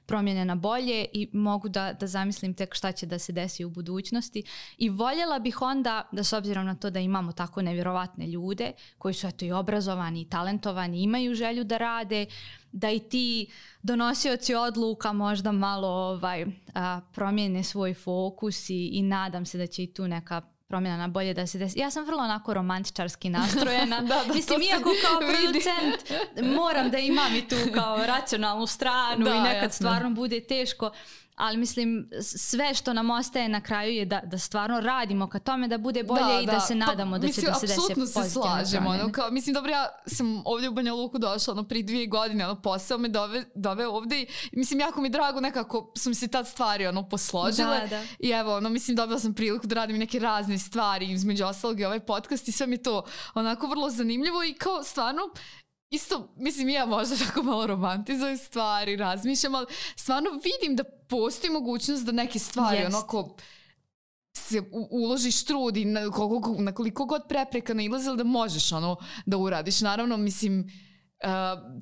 promjene na bolje i mogu da zamislim tek šta će da se desi u budućnosti i voljela bih onda da s obzirom na to da imamo tako nevjerovatne ljude koji su i obrazovani i talentovani, imaju želju da rade, da i ti donosioci odluka možda malo promijene svoj fokus i nadam se da će i tu neka promjena na bolje da se desi. Ja sam vrlo onako romantičarski nastrojena. Mislim, iako kao producent moram da imam i tu kao racionalnu stranu i nekad stvarno bude teško, ali mislim sve što nam ostaje na kraju je da stvarno radimo ka tome da bude bolje i da se nadamo da će da se desi pozitivno se slažemo. Mislim, dobro, ja sam ovdje u Banja Luku došla prije 2 godine, posao me dove ovdje i mislim, jako mi drago, nekako su mi se tad stvari posložile i evo, mislim, dobila sam priliku da radim neke razne stvari, između ostalog i ovaj podcast i sve mi to onako vrlo zanimljivo i kao stvarno isto, mislim, ja možda tako malo romantizujem stvari, razmišljam, ali stvarno vidim da postoji mogućnost da neke stvari onako se uložiš trud i na koliko god prepreka nailazila da možeš da uradiš. Naravno, mislim,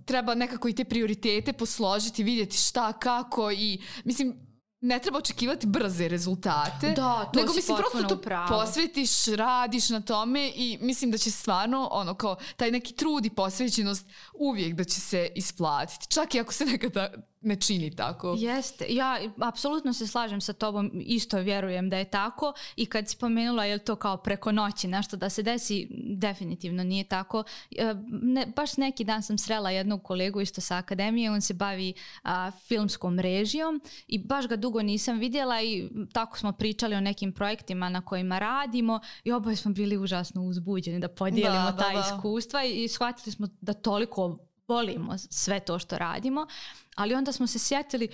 treba nekako i te prioritete posložiti, vidjeti šta, kako i mislim, ne treba očekivati brze rezultate, nego mislim prosto to posvetiš, radiš na tome i mislim da će stvarno kao taj neki trud i posvećenost uvijek da će se isplatiti, čak i ako se nekada ne čini tako. Jeste, ja apsolutno se slažem sa tobom, isto vjerujem da je tako i kad si spomenula je li to kao preko noći nešto da se desi, definitivno nije tako. Baš neki dan sam srela jednog kolegu isto sa akademije, on se bavi filmskom režijom i baš ga dugo nisam vidjela i tako smo pričali o nekim projektima na kojima radimo i oboje smo bili užasno uzbuđeni da podijelimo ta iskustva i shvatili smo da toliko volimo sve to što radimo, ali onda smo se sjetili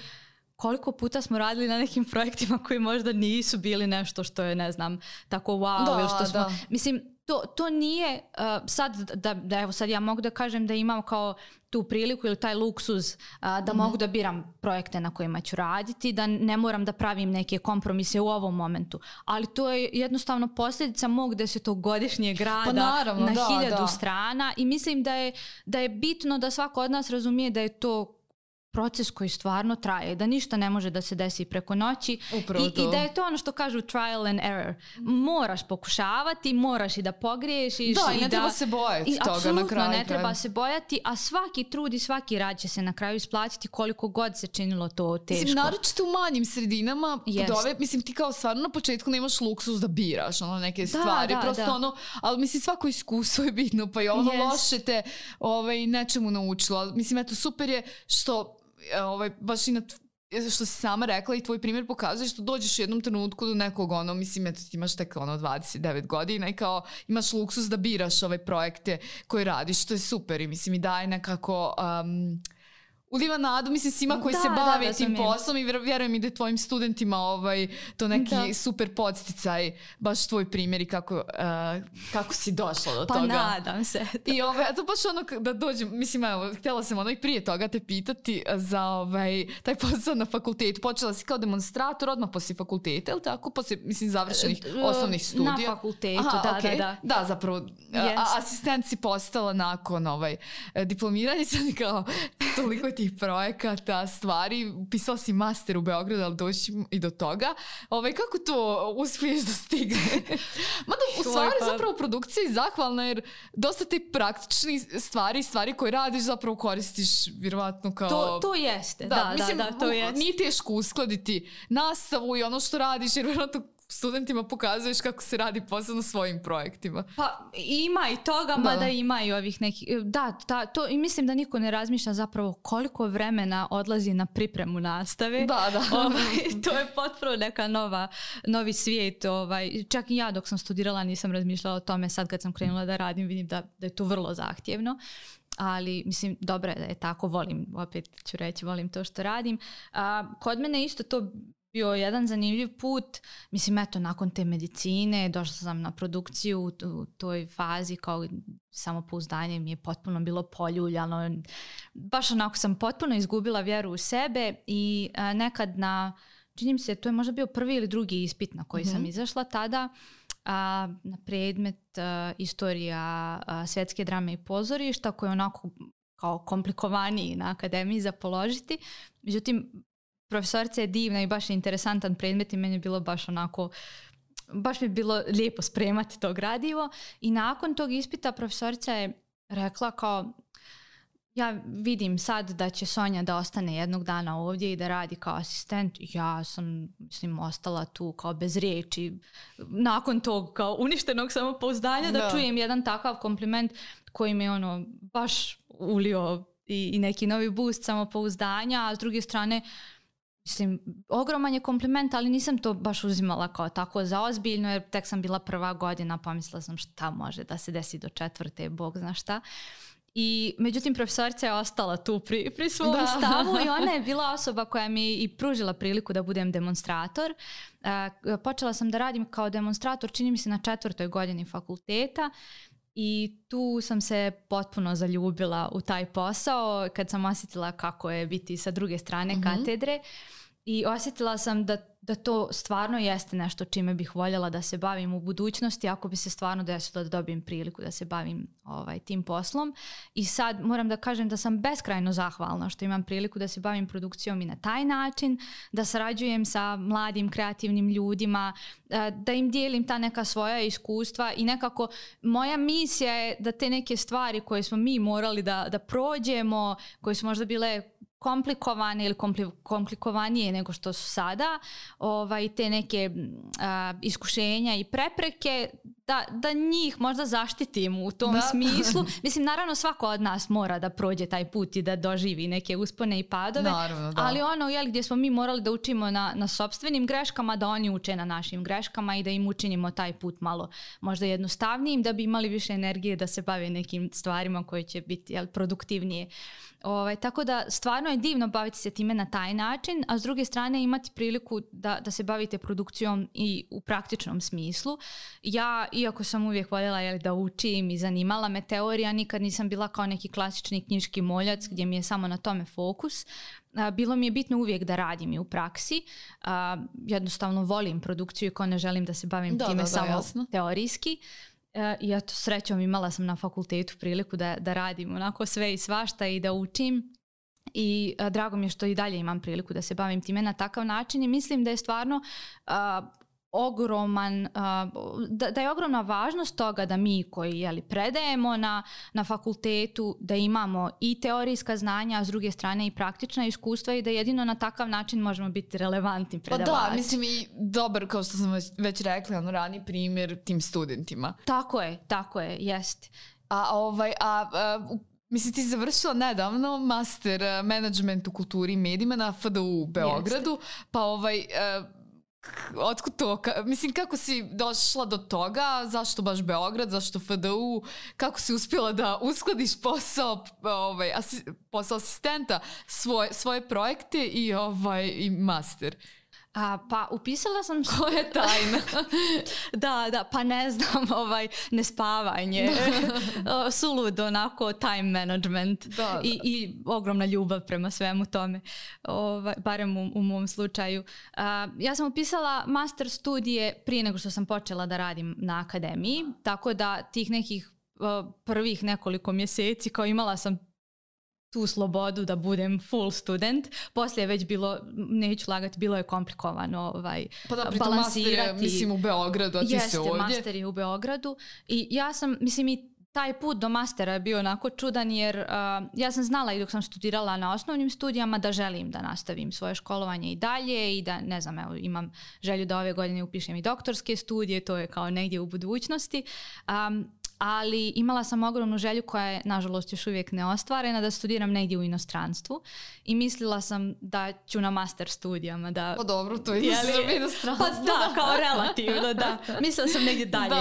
koliko puta smo radili na nekim projektima koji možda nisu bili nešto što je, ne znam, tako wow, ili što smo... Mislim, to nije sad da evo sad ja mogu da kažem da imam kao tu priliku ili taj luksuz da mogu da biram projekte na kojima ću raditi, da ne moram da pravim neke kompromise u ovom momentu. Ali to je jednostavno posljedica mog 10-godišnjeg rada na 1000 strana i mislim da je bitno da svako od nas razumije da je to proces koji stvarno traje, da ništa ne može da se desi preko noći i da je to ono što kažu trial and error. Moraš pokušavati, moraš i da pogriješiš. Da, i ne treba se bojati toga na kraju. Ne treba se bojati, a svaki trud i svaki rad će se na kraju isplatiti koliko god se činilo to teško. Mislim, naročito u manjim sredinama, mislim ti kao stvarno na početku nemaš luksus da biraš neke stvari, ali mislim svako iskustvo je bitno, pa i loše te nečemu naučilo. Mislim, eto, super je što baš i na što si sama rekla i tvoj primjer pokazuje što dođeš u jednom trenutku do nekog mislim, eto ti imaš tek 29 godina i kao imaš luksus da biraš ove projekte koje radiš, što je super i mislim i daje nekako uliva nadu, mislim, svima koji se bave tim poslom i vjerujem i da tvojim studentima to neki super podsticaj, baš tvoj primjer i kako si došla do toga. Pa nadam se. I to baš da dođem, mislim, htjela sam i prije toga te pitati za taj posao na fakultetu. Počela si kao demonstrator odmah poslije fakulteta, ili tako? Poslije, mislim, završenih osnovnih studija. Na fakultetu, da. Da, zapravo, asistent si postala nakon diplomiranja, sad kao toliko tih projekata, stvari, pisala si master u Beogradu, ali doći i do toga. Kako to uspiješ da stigne? Mada u stvari zapravo produkcija je zahvalna jer dosta te praktični stvari koje radiš zapravo koristiš vjerovatno kao... To jeste, da, to jeste. Nije teško uskladiti nastavu i ono što radiš jer vjerovatno studentima pokazuješ kako se radi posao na svojim projektima. Pa ima i toga, mada ima i ovih nekih... To, i mislim da niko ne razmišlja zapravo koliko vremena odlazi na pripremu nastave. Da. To je potpuno neka novi svijet. Čak i ja dok sam studirala nisam razmišljala o tome. Sad kad sam krenula da radim vidim da je to vrlo zahtjevno. Ali mislim dobro je da je tako, opet ću reći, volim to što radim. Kod mene isto to bio jedan zanimljiv put, mislim eto nakon te medicine došla sam na produkciju u toj fazi kao samopouzdanje mi je potpuno bilo poljuljano, baš onako sam potpuno izgubila vjeru u sebe i nekad čini mi se to je možda bio prvi ili drugi ispit na koji sam izašla tada, na predmet istorija svjetske drame i pozorišta koji je onako kao komplikovaniji na akademiji za položiti, međutim profesorica je divna i baš je interesantan predmet i meni je bilo baš onako, baš mi je bilo lijepo spremati to gradivo i nakon tog ispita profesorica je rekla kao ja vidim sad da će Sonja da ostane jednog dana ovdje i da radi kao asistent. Ja sam, mislim, ostala tu kao bez riječi. Nakon tog kao uništenog samopouzdanja da čujem jedan takav kompliment koji mi baš ulio i neki novi boost samopouzdanja, a s druge strane mislim, ogroman je kompliment, ali nisam to baš uzimala kao tako zaozbiljno, jer tek sam bila prva godina, pomislila sam šta može da se desi do 4. Bog zna šta. I međutim, profesorica je ostala tu pri svom stavu i ona je bila osoba koja mi i pružila priliku da budem demonstrator. Počela sam da radim kao demonstrator, čini mi se na 4. godini fakulteta. I tu sam se potpuno zaljubila u taj posao kad sam osjetila kako je biti sa druge strane katedre i osjetila sam da to stvarno jeste nešto čime bih voljela da se bavim u budućnosti ako bi se stvarno desilo da dobijem priliku da se bavim tim poslom. I sad moram da kažem da sam beskrajno zahvalna što imam priliku da se bavim produkcijom i na taj način, da sarađujem sa mladim kreativnim ljudima, da im dijelim ta neka svoja iskustva i nekako moja misija je da te neke stvari koje smo mi morali da prođemo, koje su možda bile komplikovane ili komplikovanije nego što su sada, te neke iskušenja i prepreke, da njih možda zaštitim u tom smislu. Mislim, naravno svako od nas mora da prođe taj put i da doživi neke uspone i padove, naravno, ali gdje smo mi morali da učimo na sopstvenim greškama, da oni uče na našim greškama i da im učinimo taj put malo možda jednostavnijim, da bi imali više energije da se bave nekim stvarima koje će biti produktivnije. Tako da stvarno je divno baviti se time na taj način, a s druge strane imati priliku da se bavite produkcijom i u praktičnom smislu. Ja, iako sam uvijek voljela da učim i zanimala me teorija, nikad nisam bila kao neki klasični knjiški moljac gdje mi je samo na tome fokus. Bilo mi je bitno uvijek da radim i u praksi. Jednostavno volim produkciju i ko ne želim da se bavim time samo jasno. Teorijski. I eto, srećom imala sam na fakultetu priliku da radim onako sve i svašta i da učim i drago mi je što i dalje imam priliku da se bavim time na takav način i mislim da je stvarno da je ogromna važnost toga da mi koji predajemo na fakultetu, da imamo i teorijska znanja, a s druge strane i praktična iskustva i da jedino na takav način možemo biti relevantni predavači. Pa da, mislim i dobar, kao što sam već rekla, rani primjer tim studentima. Tako je, jest. Mislim, ti si završila nedavno master management u kulturi i medijima na FDU u Beogradu, pa otkud to? Mislim, kako si došla do toga? Zašto baš Beograd? Zašto FDU? Kako si uspjela da uskladiš posao asistenta, svoje projekte i master? Pa upisala sam... Ko je tajna? Da, pa ne znam, nespavanje, suludo, onako, time management i ogromna ljubav prema svemu tome, barem u mom slučaju. Ja sam upisala master studije prije nego što sam počela da radim na akademiji, tako da tih nekih prvih nekoliko mjeseci kao imala sam tu slobodu da budem full student. Poslije je već bilo, neću lagati, bilo je komplikovano pa da, balansirati. Master je, mislim, u Beogradu, a ti se ovdje. Jeste, master je u Beogradu. I ja sam, mislim, i taj put do mastera je bio onako čudan jer ja sam znala i dok sam studirala na osnovnim studijama da želim da nastavim svoje školovanje i dalje i da, ne znam, evo, imam želju da ove godine upišem i doktorske studije, to je kao negdje u budućnosti. Ali imala sam ogromnu želju koja je nažalost još uvijek neostvarena da studiram negdje u inostranstvu i mislila sam da ću na master studijama da... Pa dobro, to je inostranstvo. Pa da, kao relativno, da. Mislila sam negdje dalje.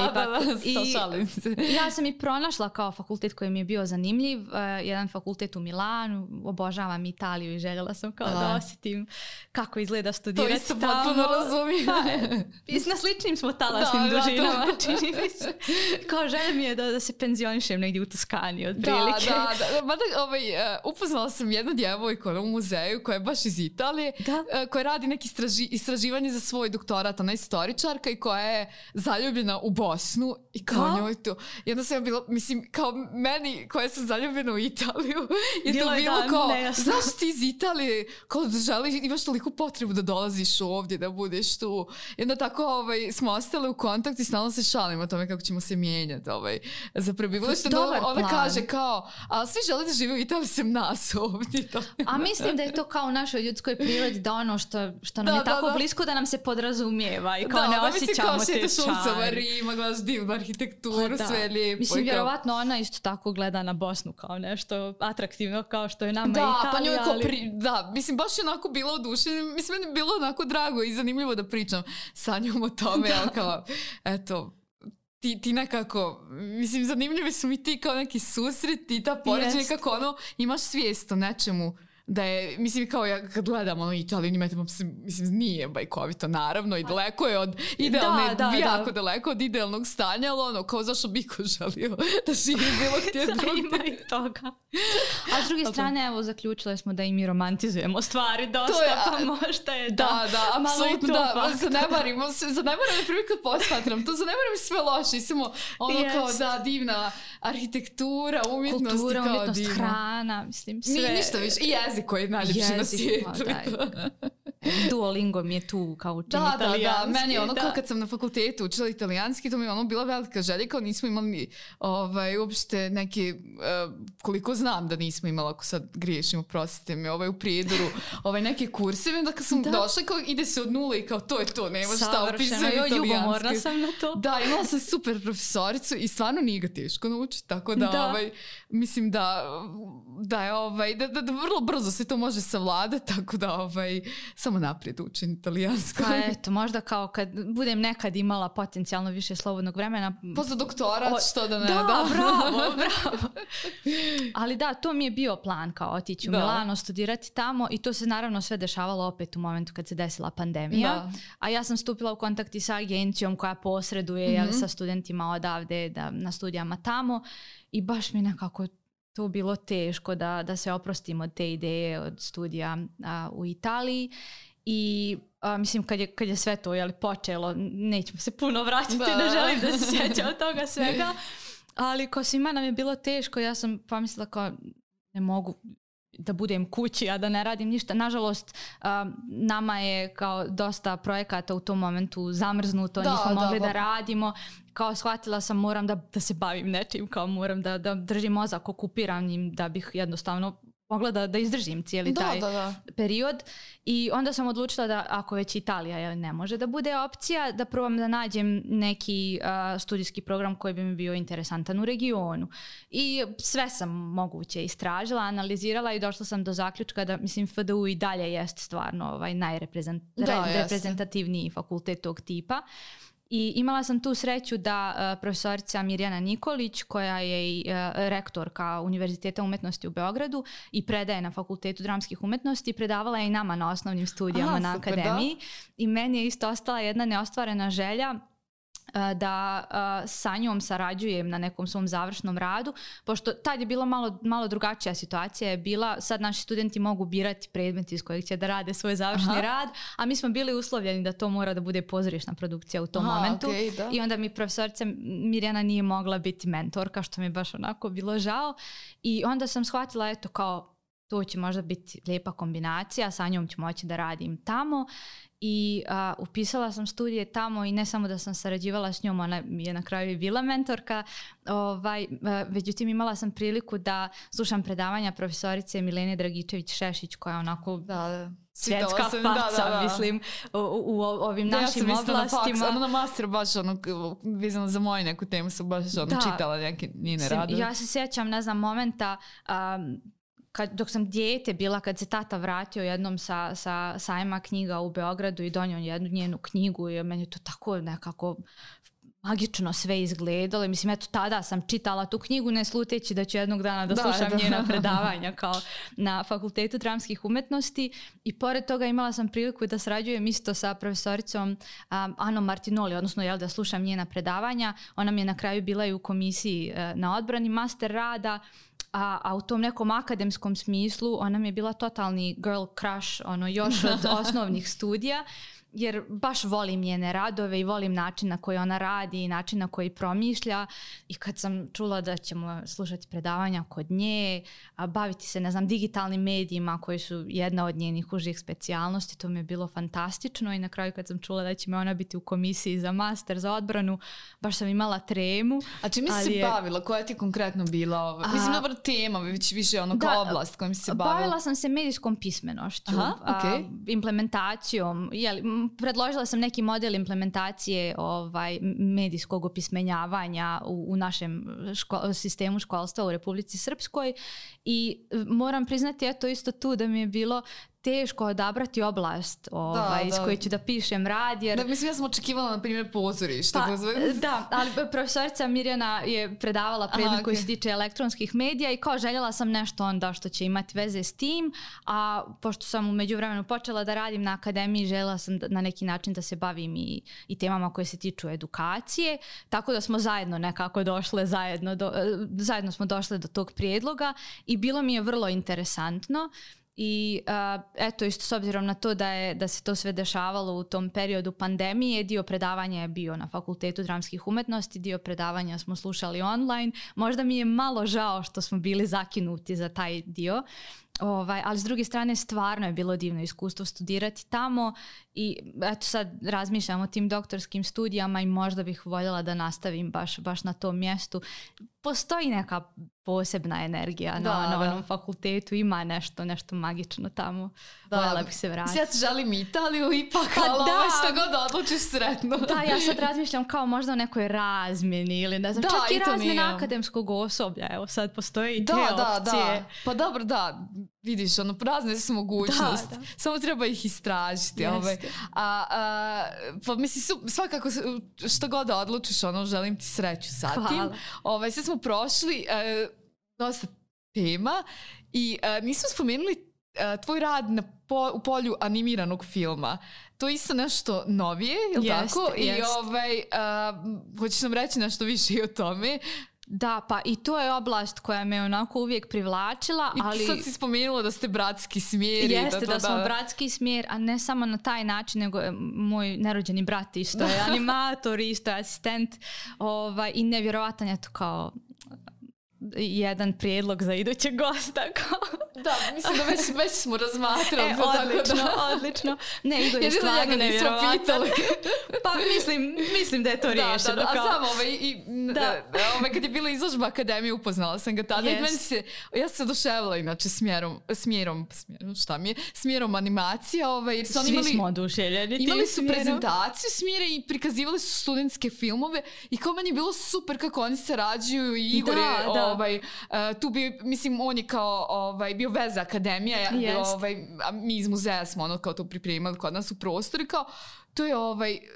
Šalim se. Ja sam i pronašla kao fakultet koji mi je bio zanimljiv, jedan fakultet u Milanu, obožavam Italiju i željela sam kao da osjetim kako izgleda studirati tamo. To isto potpuno razumijem. Na sličnim smo talasnim dužinama, čini mi se. Kao želim je da se penzionišem negdje u Toskani otprilike. Da. Upoznala sam jednu djevojku u muzeju koja je baš iz Italije, koja radi neki istraživanje za svoj doktorat, ona je istoričarka i koja je zaljubljena u Bosnu i kao njoj to. Jedno sam bila, mislim, kao meni koja sam zaljubljena u Italiju je to bilo kao, znaš ti iz Italije, kao da želiš, imaš toliku potrebu da dolaziš ovdje, da budeš tu. I onda tako smo ostale u kontaktu i stalno se šalimo o tome kako ćemo se mijenjati za prebivalište. Ona kaže kao, a svi žele da žive u Italiji sem nas ovdje. A mislim da je to kao u našoj ljudskoj prirodi, da ono što nam je tako blisko da nam se podrazumijeva i kao ne osjećamo te čari. Šulcova Rima, gledaš divnu arhitектuru, sve je lijepo. Mislim, vjerovatno ona isto tako gleda na Bosnu kao nešto atraktivno kao što je nama Italija. Pa njoj da, mislim, baš je onako bila odušena. Mislim, meni je bilo onako drago i zanimljivo da pričam sa njom o tome. Kao, eto, ti nekako, mislim, zanimljivi su mi ti kao neki susreti i ta poređenja kako ono, imaš svijest o nečemu da je, mislim, kao ja kad gledam Italiju, mislim, nije bajkovito naravno i daleko je od idealne, jako daleko od idealnog stanja, ali ono, kao zašto bi ko želio da živi bilo gdje drugdje. Ima i toga. A s druge strane, evo, zaključile smo da i mi romantizujemo stvari dosta, pa možda je da, apsolutno da, zanemarimo, na primjer kad posmatram, to zanemarimo sve loše, samo ono kao da divna arhitektura, umjetnost, kultura, umjetnost, hrana, mislim, sve. Ništa više, i jezik koji je najljepši na svijetu. Duolingo mi je tu kao učin italijanski. Da, meni ono kao kad sam na fakultetu učila italijanski, to mi je ono bila velika želja, kao nismo imali uopšte neke, koliko znam da nismo imali, ako sad griješim, oprostite mi, u Prijedoru, neke kurseve, onda kad sam došla, kao ide se od nule i kao to je to, nema šta upisati italijanski. Ljubomorna sam na to. Da, imala sam super profesoricu i stvarno nije ga teško naučiti, tako da, mislim da vrlo brzo se to može savladati, tako da samo naprijed učim italijansko. Pa eto, možda kao kad budem nekad imala potencijalno više slobodnog vremena. Pa za doktorat, što da ne. Da, bravo. Ali da, to mi je bio plan, kao otići u Milano, studirati tamo i to se naravno sve dešavalo opet u momentu kad se desila pandemija. A ja sam stupila u kontakt i sa agencijom koja posreduje sa studentima odavde na studijama tamo i baš mi nekako to bilo teško da se oprostim od te ideje od studija u Italiji i mislim kad je sve to počelo, nećemo se puno vraćati, ne želim da se sjeća od toga svega, ali ko svima nam je bilo teško, ja sam pomislila kao ne mogu da budem kući, a da ne radim ništa. Nažalost, nama je kao dosta projekata u tom momentu zamrznuto, nismo mogli da radimo. Kao shvatila sam moram da se bavim nečim, kao moram da držim mozak okupiranim da bih jednostavno mogla da izdržim cijeli taj period. I onda sam odlučila da ako već Italija ne može da bude opcija, da probam da nađem neki studijski program koji bi mi bio interesantan u regionu. I sve sam moguće istražila, analizirala i došla sam do zaključka da, mislim, FDU i dalje jest stvarno najreprezentativniji fakultet tog tipa. I imala sam tu sreću da profesorica Mirjana Nikolić, koja je i rektorka Univerziteta umetnosti u Beogradu i predaje na Fakultetu dramskih umetnosti, predavala je i nama na osnovnim studijama na akademiji. I meni je isto ostala jedna neostvarena želja da sa njom sarađujem na nekom svom završnom radu, pošto tad je bila malo drugačija situacija je bila, sad naši studenti mogu birati predmet iz kojeg će da rade svoj završni rad, a mi smo bili uslovljeni da to mora da bude pozorišna produkcija u tom momentu. I onda mi profesorica Mirjana nije mogla biti mentorka, što mi je baš onako bilo žao. I onda sam shvatila, eto, kao to će možda biti lijepa kombinacija, sa njom ću moći da radim tamo. I upisala sam studije tamo i ne samo da sam sarađivala s njom, ona je na kraju i bila mentorka, međutim imala sam priliku da slušam predavanja profesorice Milene Dragičević-Šešić, koja je onako svjetska faca, mislim, u ovim našim oblastima. Ona na master baš vezano za moju neku temu sam baš čitala neke njene radove. Ja se sjećam, ne znam, momenta dok sam dijete bila, kad se tata vratio jednom sa sajma knjiga u Beogradu i donio jednu njenu knjigu i meni je to tako nekako magično sve izgledalo. Mislim, eto, tada sam čitala tu knjigu ne sluteći da ću jednog dana da slušam njena predavanja kao na Fakultetu dramskih umetnosti. I pored toga imala sam priliku da sarađujem isto sa profesoricom Anom Martinoli, odnosno da slušam njena predavanja. Ona mi je na kraju bila i u komisiji na odbrani master rada. A u tom nekom akademskom smislu ona mi je bila totalni girl crush, još od osnovnih studija, jer baš volim njene radove i volim način na koji ona radi i način na koji promišlja. I kad sam čula da ćemo slušati predavanja kod nje, baviti se, ne znam, digitalnim medijima koji su jedna od njenih užih specijalnosti, to mi je bilo fantastično. I na kraju kad sam čula da će me ona biti u komisiji za master, za odbranu, baš sam imala tremu. A čime si se bavila? Koja ti je konkretno bila? Mislim, dobra tema, više kao oblast kojom si se bavila. Bavila sam se medijskom pismenošću, implementacijom, predložila sam neki model implementacije medijskog opismenjavanja u našem sistemu školstva u Republici Srpskoj i moram priznati, eto, isto tu da mi je bilo teško odabrati oblast iz koje ću da pišem rad. Jer... mislim, ja sam očekivala, na primjer, pozorište. Da, ali profesorica Mirjana je predavala predmet koji se tiče elektronskih medija i kao željela sam nešto onda što će imati veze s tim, a pošto sam u međuvremenu počela da radim na akademiji, željela sam na neki način da se bavim i temama koje se tiču edukacije, tako da smo zajedno nekako došle, zajedno smo došle do tog prijedloga i bilo mi je vrlo interesantno. I eto, isto s obzirom na to da se to sve dešavalo u tom periodu pandemije, dio predavanja je bio na Fakultetu dramskih umetnosti, dio predavanja smo slušali online. Možda mi je malo žao što smo bili zakinuti za taj dio, ali s druge strane stvarno je bilo divno iskustvo studirati tamo i eto, sad razmišljam o tim doktorskim studijama i možda bih voljela da nastavim baš na tom mjestu. Postoji neka posebna energija na onom fakultetu, ima nešto magično tamo. Voljela bih se vratiti. Ja ti želim Italiju ipak, što god odlučiš sretno. Da, ja sad razmišljam kao možda o nekoj razmjeni ili ne znam, čak i razmjena akademskog osoblja. Evo sad postoje i te opcije. Pa dobro, da, vidiš, razne su mogućnosti. Samo treba ih istražiti. Pa mislim, svakako što god da odlučiš, želim ti sreću sa tim. Sve smo prošli dosta tema i nismo spomenuli tvoj rad u polju animiranog filma. To je isto nešto novije, je li tako? I hoćeš nam reći nešto više i o tome? Da, pa i to je oblast koja me onako uvijek privlačila. I sad si spomenula da ste bratski smjer. Jeste, da smo bratski smjer, a ne samo na taj način, nego moj nerođeni brat isto je animator, isto je asistent i nevjerovatan je to kao jedan prijedlog za idućeg gosta. Da, mislim da već smo razmatrali. Odlično. Ne, Igor je stvarno nevjerovatan. Pa mislim da je to riješeno. Da, a znam, kad je bila izložba akademije, upoznala sam ga tada i ja se oduševila inače smjerom animacija. Jer su Svi smo oduševljeni. Imali su prezentaciju smjera i prikazivali su studentske filmove i kao meni je bilo super kako oni sarađuju i Igor je tu bi, mislim, on je kao bio veza akademija, a mi iz muzeja smo kao to pripremali kod nas u prostori, kao to je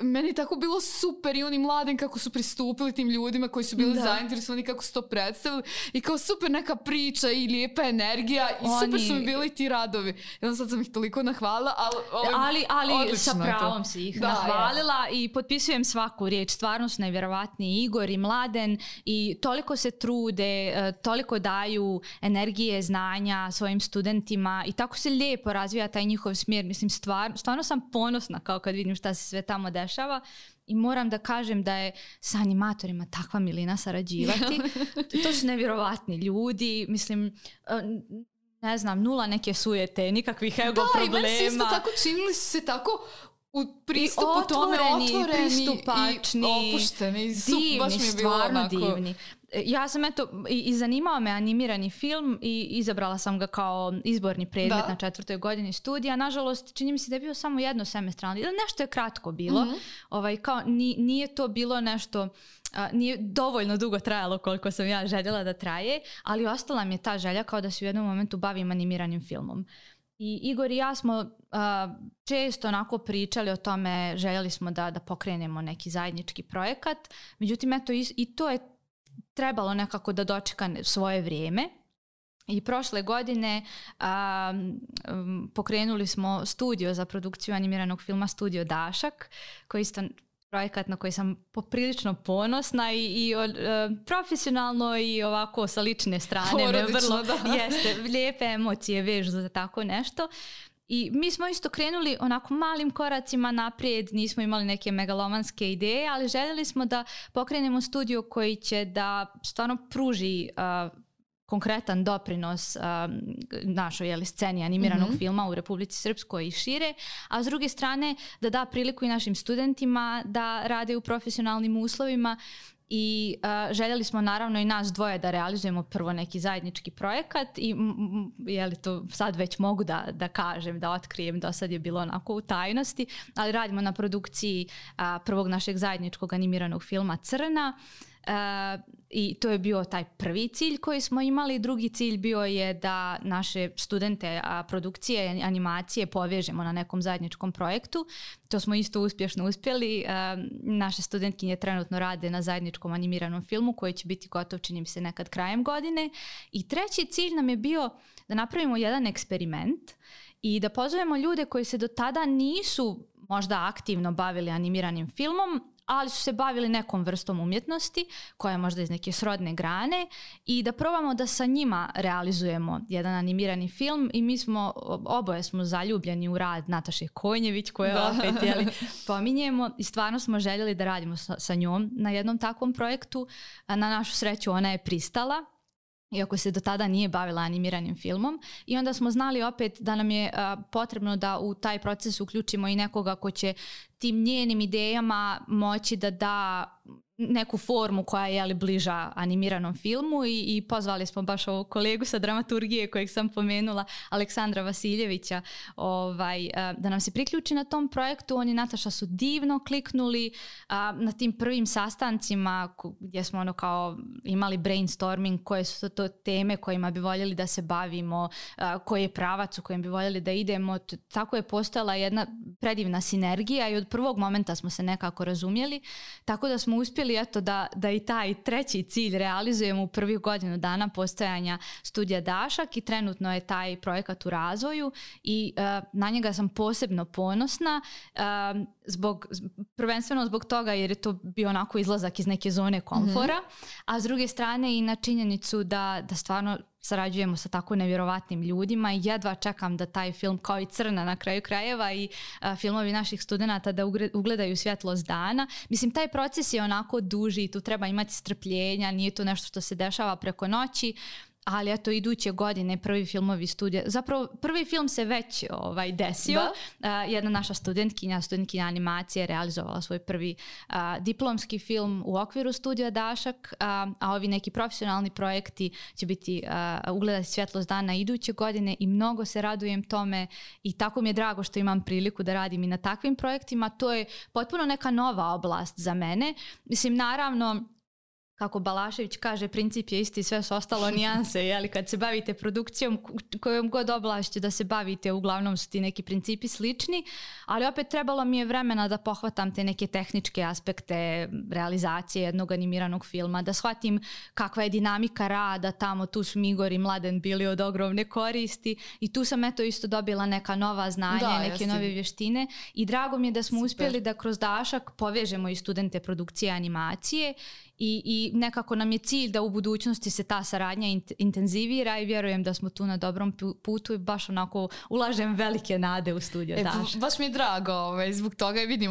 meni je tako bilo super i oni mladim kako su pristupili tim ljudima koji su bili zainteresovani, kako su to predstavili i kao super neka priča i lijepa energija i super su mi bili ti radovi. Sad sam ih toliko nahvalila, ali sa pravom si ih nahvalila i potpisujem svaku riječ. Stvarno su nevjerovatni Igor i Mladen i toliko se trude, toliko daju energije, znanja svojim studentima i tako se lijepo razvija taj njihov smjer. Mislim, stvarno sam ponosna kao kad vidim šta se sve tamo dešava i moram da kažem da je sa animatorima takva milina sarađivati. To su nevjerovatni ljudi, mislim, ne znam, nula neke sujete, nikakvih ego problema. Da, i meni se isto tako činili su se tako u pristupu tome otvoreni, pristupačni, i opušteni, divni, baš mi je bilo stvarno onako divni. Ja sam i zanimao me animirani film i izabrala sam ga kao izborni predmet na 4. godini studija. Nažalost, čini mi se da je bio samo jedno semestralno. Nešto je kratko bilo. Kao nije to bilo nešto, nije dovoljno dugo trajalo koliko sam ja željela da traje, ali ostala mi je ta želja kao da se u jednom momentu bavim animiranim filmom. I Igor i ja smo često onako pričali o tome, željeli smo da pokrenemo neki zajednički projekat. Međutim, i to je trebalo nekako da dočeka svoje vrijeme. I prošle godine pokrenuli smo studio za produkciju animiranog filma Studio Dašak, koji isto projekat na koji sam poprilično ponosna i profesionalno i ovako sa lične strane. Porodično, jeste, lijepe emocije vežu za tako nešto. I mi smo isto krenuli onako malim koracima naprijed, nismo imali neke megalomanske ideje, ali željeli smo da pokrenemo studio koji će da stvarno pruži konkretan doprinos našoj sceni animiranog filma u Republici Srpskoj i šire, a s druge strane da priliku i našim studentima da rade u profesionalnim uslovima. I željeli smo naravno i nas dvoje da realizujemo prvo neki zajednički projekat i to sad već mogu da kažem, da otkrijem, do sad je bilo onako u tajnosti, ali radimo na produkciji prvog našeg zajedničkog animiranog filma Crna. I to je bio taj prvi cilj koji smo imali. Drugi cilj bio je da naše studente produkcije, animacije povežemo na nekom zajedničkom projektu. To smo isto uspješno uspjeli. Naše studentkinje trenutno rade na zajedničkom animiranom filmu koji će biti gotov, čini mi se, nekad krajem godine. I treći cilj nam je bio da napravimo jedan eksperiment i da pozovemo ljude koji se do tada nisu možda aktivno bavili animiranim filmom, ali su se bavili nekom vrstom umjetnosti koja je možda iz neke srodne grane i da probamo da sa njima realizujemo jedan animirani film i oboje smo zaljubljeni u rad Nataše Konjević koje opet pominjemo i stvarno smo željeli da radimo sa njom na jednom takvom projektu. Na našu sreću ona je pristala, iako se do tada nije bavila animiranim filmom, i onda smo znali opet da nam je potrebno da u taj proces uključimo i nekoga ko će tim njenim idejama moći da da neku formu koja je bliža animiranom filmu i pozvali smo baš ovog kolegu sa dramaturgije kojeg sam pomenula, Aleksandra Vasiljevića, da nam se priključi na tom projektu. On i Nataša su divno kliknuli na tim prvim sastancima gdje smo imali brainstorming, koje su to teme kojima bi voljeli da se bavimo, koji je pravac u kojem bi voljeli da idemo. Tako je postojala jedna predivna sinergija i od prvog momenta smo se nekako razumjeli, tako da smo uspjeli da i taj treći cilj realizujemo u prvih godinu dana postojanja Studija Dašak i trenutno je taj projekat u razvoju i na njega sam posebno ponosna, prvenstveno zbog toga jer je to bio onako izlazak iz neke zone komfora, a s druge strane i na činjenicu da stvarno sarađujemo sa tako nevjerovatnim ljudima i jedva čekam da taj film, kao i Crna na kraju krajeva i filmovi naših studenata, da ugledaju svjetlost dana. Mislim, taj proces je onako duži i tu treba imati strpljenja, nije to nešto što se dešava preko noći, ali eto iduće godine prvi filmovi studija, zapravo prvi film se već desio. Jedna naša studentkinja animacije realizovala svoj prvi diplomski film u okviru studija Dašak, a ovi neki profesionalni projekti će biti ugledati svjetlost dana iduće godine i mnogo se radujem tome i tako mi je drago što imam priliku da radim i na takvim projektima. To je potpuno neka nova oblast za mene. Mislim, naravno, kako Balašević kaže, princip je isti, sve su ostalo nijanse, jeli, kad se bavite produkcijom, kojom god oblašću da se bavite, uglavnom su ti neki principi slični, ali opet trebalo mi je vremena da pohvatam te neke tehničke aspekte realizacije jednog animiranog filma, da shvatim kakva je dinamika rada tamo, tu su Igor i Mladen bili od ogromne koristi i tu sam eto isto dobila neka nova znanja, neke nove vještine i drago mi je da smo uspjeli da kroz Dašak povežemo i studente produkcije animacije i nekako nam je cilj da u budućnosti se ta saradnja intenzivira i vjerujem da smo tu na dobrom putu i baš onako ulažem velike nade u studio Dašak. Baš mi je drago zbog toga i vidim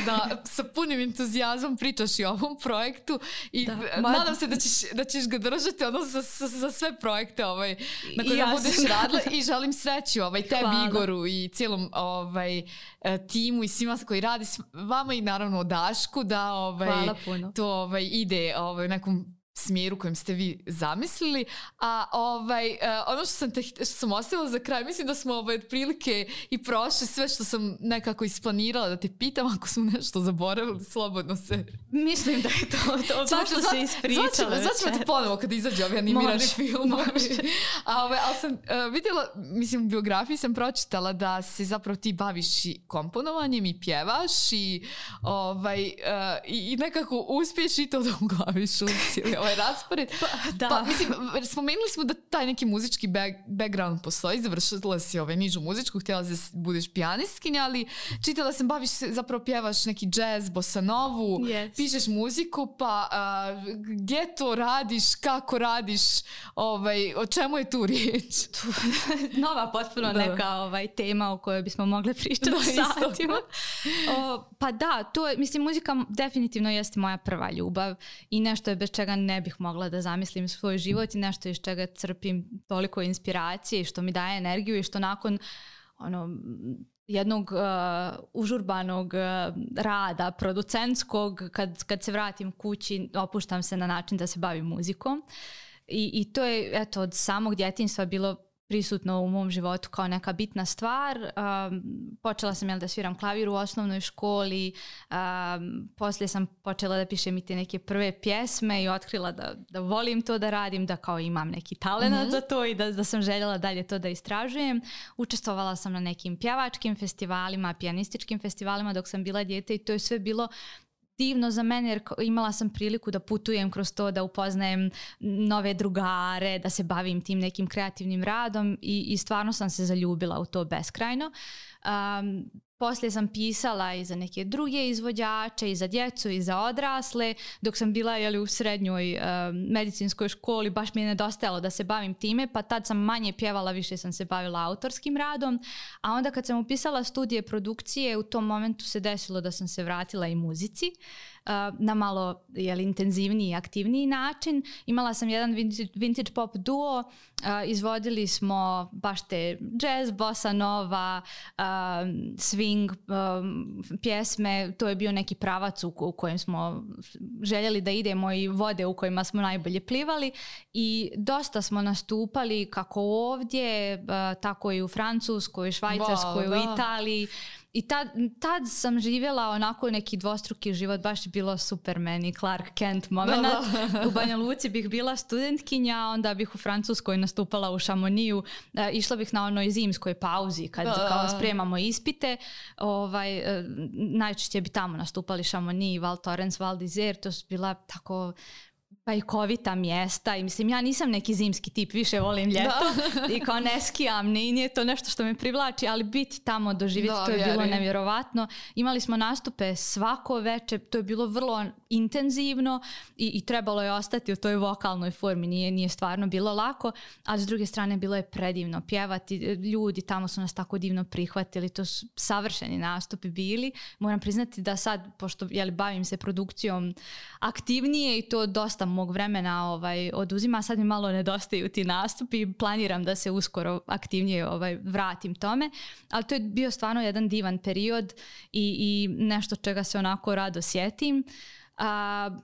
da sa punim entuzijazmom pričaš i o ovom projektu i nadam se da ćeš ga držati za sve projekte na kojima budeš radila i želim sreću tebi, Igoru i cijelom timu i svima koji radi s vama i naravno o Dašku da to ide u nekom smjeru kojem ste vi zamislili. A ono što sam ostavila za kraj, mislim da smo otprilike i prošli sve što sam nekako isplanirala da te pitam, ako smo nešto zaboravili, slobodno se... Mislim da je to baš što se ispričala. Zvaćemo te ponovo kada izađe ovi animirani film. Ali sam vidjela, mislim, u biografiji sam pročitala da se zapravo ti baviš i komponovanjem i pjevaš i nekako uspiješ i to da uglaviš u cijeli raspored. Mislim, spomenuli smo da taj neki muzički background postoji, završila si nižu muzičku, htjela da budeš pijanistkinja, ali čitala sam, baviš se, zapravo pjevaš neki jazz, bossa novu, pišeš muziku, pa gdje to radiš, kako radiš, o čemu je tu riječ? Nova potpuno neka tema o kojoj bismo mogli pričati satima. Pa da, to je, mislim, muzika definitivno jeste moja prva ljubav i nešto je bez čega ne bih mogla da zamislim svoj život i nešto iz čega crpim toliko inspiracije i što mi daje energiju i što nakon jednog užurbanog rada, producentskog, kad se vratim kući, opuštam se na način da se bavim muzikom. I to je, eto, od samog djetinjstva bilo prisutno u mom životu kao neka bitna stvar. Počela sam da sviram klavir u osnovnoj školi, poslije sam počela da pišem i te neke prve pjesme i otkrila da volim to da radim, da kao imam neki talent za to i da sam željela dalje to da istražujem. Učestvovala sam na nekim pjevačkim festivalima, pijanističkim festivalima dok sam bila dijete i to je sve bilo divno za mene jer imala sam priliku da putujem kroz to, da upoznajem nove drugare, da se bavim tim nekim kreativnim radom i stvarno sam se zaljubila u to beskrajno. Poslije sam pisala i za neke druge izvođače, i za djecu, i za odrasle. Dok sam bila u srednjoj medicinskoj školi, baš mi je nedostajalo da se bavim time, pa tad sam manje pjevala, više sam se bavila autorskim radom. A onda kad sam upisala studije produkcije, u tom momentu se desilo da sam se vratila i muzici na malo intenzivniji i aktivniji način. Imala sam jedan vintage pop duo, izvodili smo baš te jazz, bossa nova, swing pjesme. To je bio neki pravac u kojem smo željeli da idemo i vode u kojima smo najbolje plivali i dosta smo nastupali kako ovdje, tako i u Francuskoj, Švajcarskoj, u Italiji. I tad sam živjela onako neki dvostruki život, baš je bilo super meni, Clark Kent moment. U Banja Luci bih bila studentkinja, onda bih u Francuskoj nastupala u Chamonixu, išla bih na onoj zimskoj pauzi kad kao spremamo ispite. Najčešće bi tamo nastupali Chamonix, Val Thorens, Val d'Isère, to su bila tako bajkovita mjesta i mislim ja nisam neki zimski tip, više volim ljeto i kao ne skijam, nije to nešto što me privlači, ali biti tamo, doživjeti, to je bilo nevjerovatno. Imali smo nastupe svako večer, to je bilo vrlo intenzivno i trebalo je ostati u toj vokalnoj formi, nije stvarno bilo lako, ali s druge strane bilo je predivno pjevati, ljudi tamo su nas tako divno prihvatili, to su savršeni nastupi bili. Moram priznati da sad, pošto bavim se produkcijom aktivnije i to dosta mog vremena oduzima. Sad mi malo nedostaju ti nastupi. Planiram da se uskoro aktivnije vratim tome. Ali to je bio stvarno jedan divan period i nešto čega se onako rado sjetim.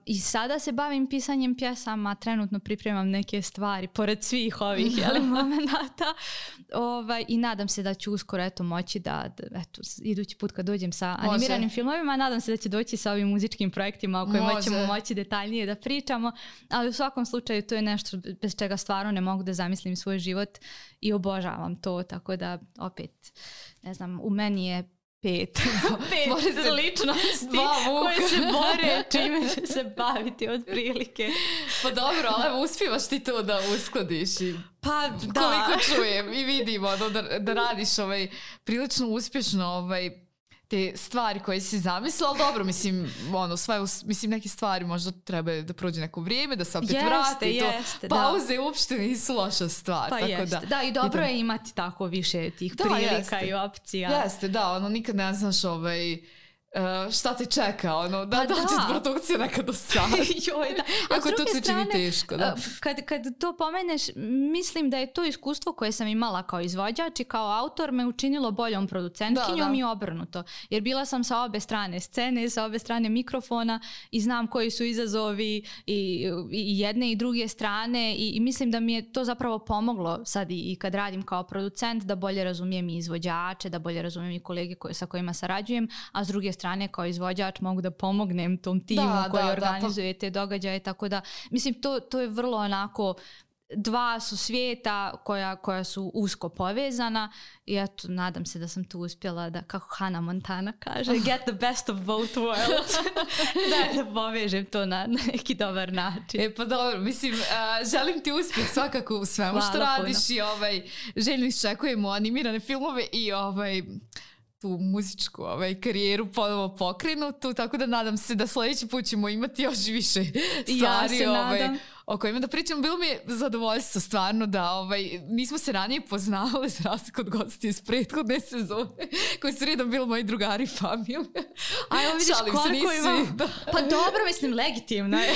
I sada se bavim pisanjem pjesama, trenutno pripremam neke stvari pored svih ovih momenata i nadam se da ću uskoro moći da idući put kad dođem sa animiranim filmovima, nadam se da će doći sa ovim muzičkim projektima o kojima ćemo moći detaljnije da pričamo, ali u svakom slučaju to je nešto bez čega stvarno ne mogu da zamislim svoj život i obožavam to, tako da opet ne znam, u meni je pet ličnosti koje se bore čime će se baviti otprilike. Pa dobro, ali uspijevaš ti to da uskladiš i pa da. Koliko čujem i vidimo da radiš prilično uspješno te stvari koje si zamislila, ali dobro, mislim, neke stvari možda treba da prođe neko vrijeme, da se opet vrati. Pauze uopšte nisu loša stvar. Pa tako da i dobro je imati tako više tih prilika i opcija. Jeste, da, nikad ne znaš šta te čeka, da dođe produkcija nekad do sada. Ako to se čini teško. Da. Kad to pomeneš, mislim da je to iskustvo koje sam imala kao izvođač i kao autor me učinilo boljom producentkinjom i obrnuto. Jer bila sam sa obe strane scene, sa obe strane mikrofona i znam koji su izazovi i jedne i druge strane i mislim da mi je to zapravo pomoglo sad i kad radim kao producent da bolje razumijem i izvođače, da bolje razumijem i kolege sa kojima sarađujem, a s druge strane kao izvođač mogu da pomognem tom timu koji organizuje te događaje, tako da mislim to je vrlo onako, dva su svijeta koja su usko povezana i eto, nadam se da sam tu uspjela da, kako Hannah Montana kaže, get the best of both worlds. da povežem to na neki dobar način. Pa dobro, mislim, želim ti uspjeh svakako u svemu što radiš i željno iščekujemo animirane filmove i tu muzičku karijeru ponovo pokrenutu, tako da nadam se da sljedeći put ćemo imati još više stvari o kojima da pričam. Bilo mi je zadovoljstvo stvarno da nismo se ranije poznavali za razliku od gosti iz prethodne sezone koji su redom bili moji drugari i familije. Ajmo vidiš koliko imam. Pa dobro, mislim, legitimno je.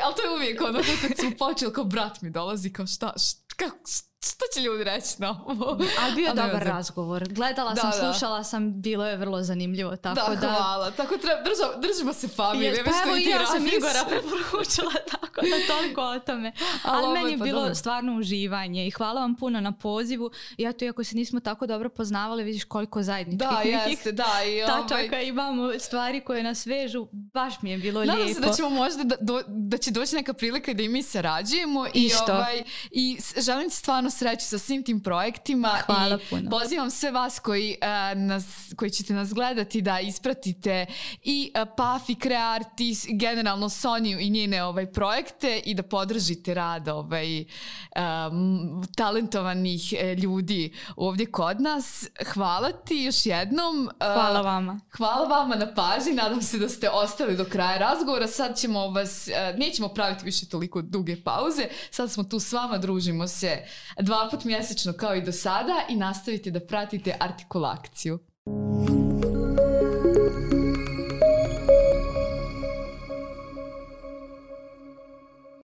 Ali to je uvijek kad smo počeli, kao brat mi dolazi, kao šta će ljudi reći na ovo? Ali bio je dobar razgovor. Gledala sam, slušala sam, bilo je vrlo zanimljivo. Tako da, hvala. Tako držimo se familije. Pa evo i ja sam Igora preporučila, tako da toliko o tome. Ali meni je bilo stvarno uživanje i hvala vam puno na pozivu. I eto, iako se nismo tako dobro poznavali, vidiš koliko zajedničkih tačaka imamo, stvari koje nas vežu. Baš mi je bilo lijepo. Nadam se da ćemo možda da će doći neka prilika da i mi sarađujemo. I želim ti stvarno sreću sa svim tim projektima. Hvala puno. Pozivam sve vas koji ćete nas gledati da ispratite i PAF i Creart i generalno Soniju i njene projekte i da podržite rad talentovanih ljudi ovdje kod nas. Hvala ti još jednom. Hvala vama. Hvala vama na pažnji. Nadam se da ste ostali do kraja razgovora. Sad ćemo nećemo praviti više toliko duge pauze. Sad smo tu s vama, družimo se 2 puta mjesečno kao i do sada i nastavite da pratite Artikulakciju.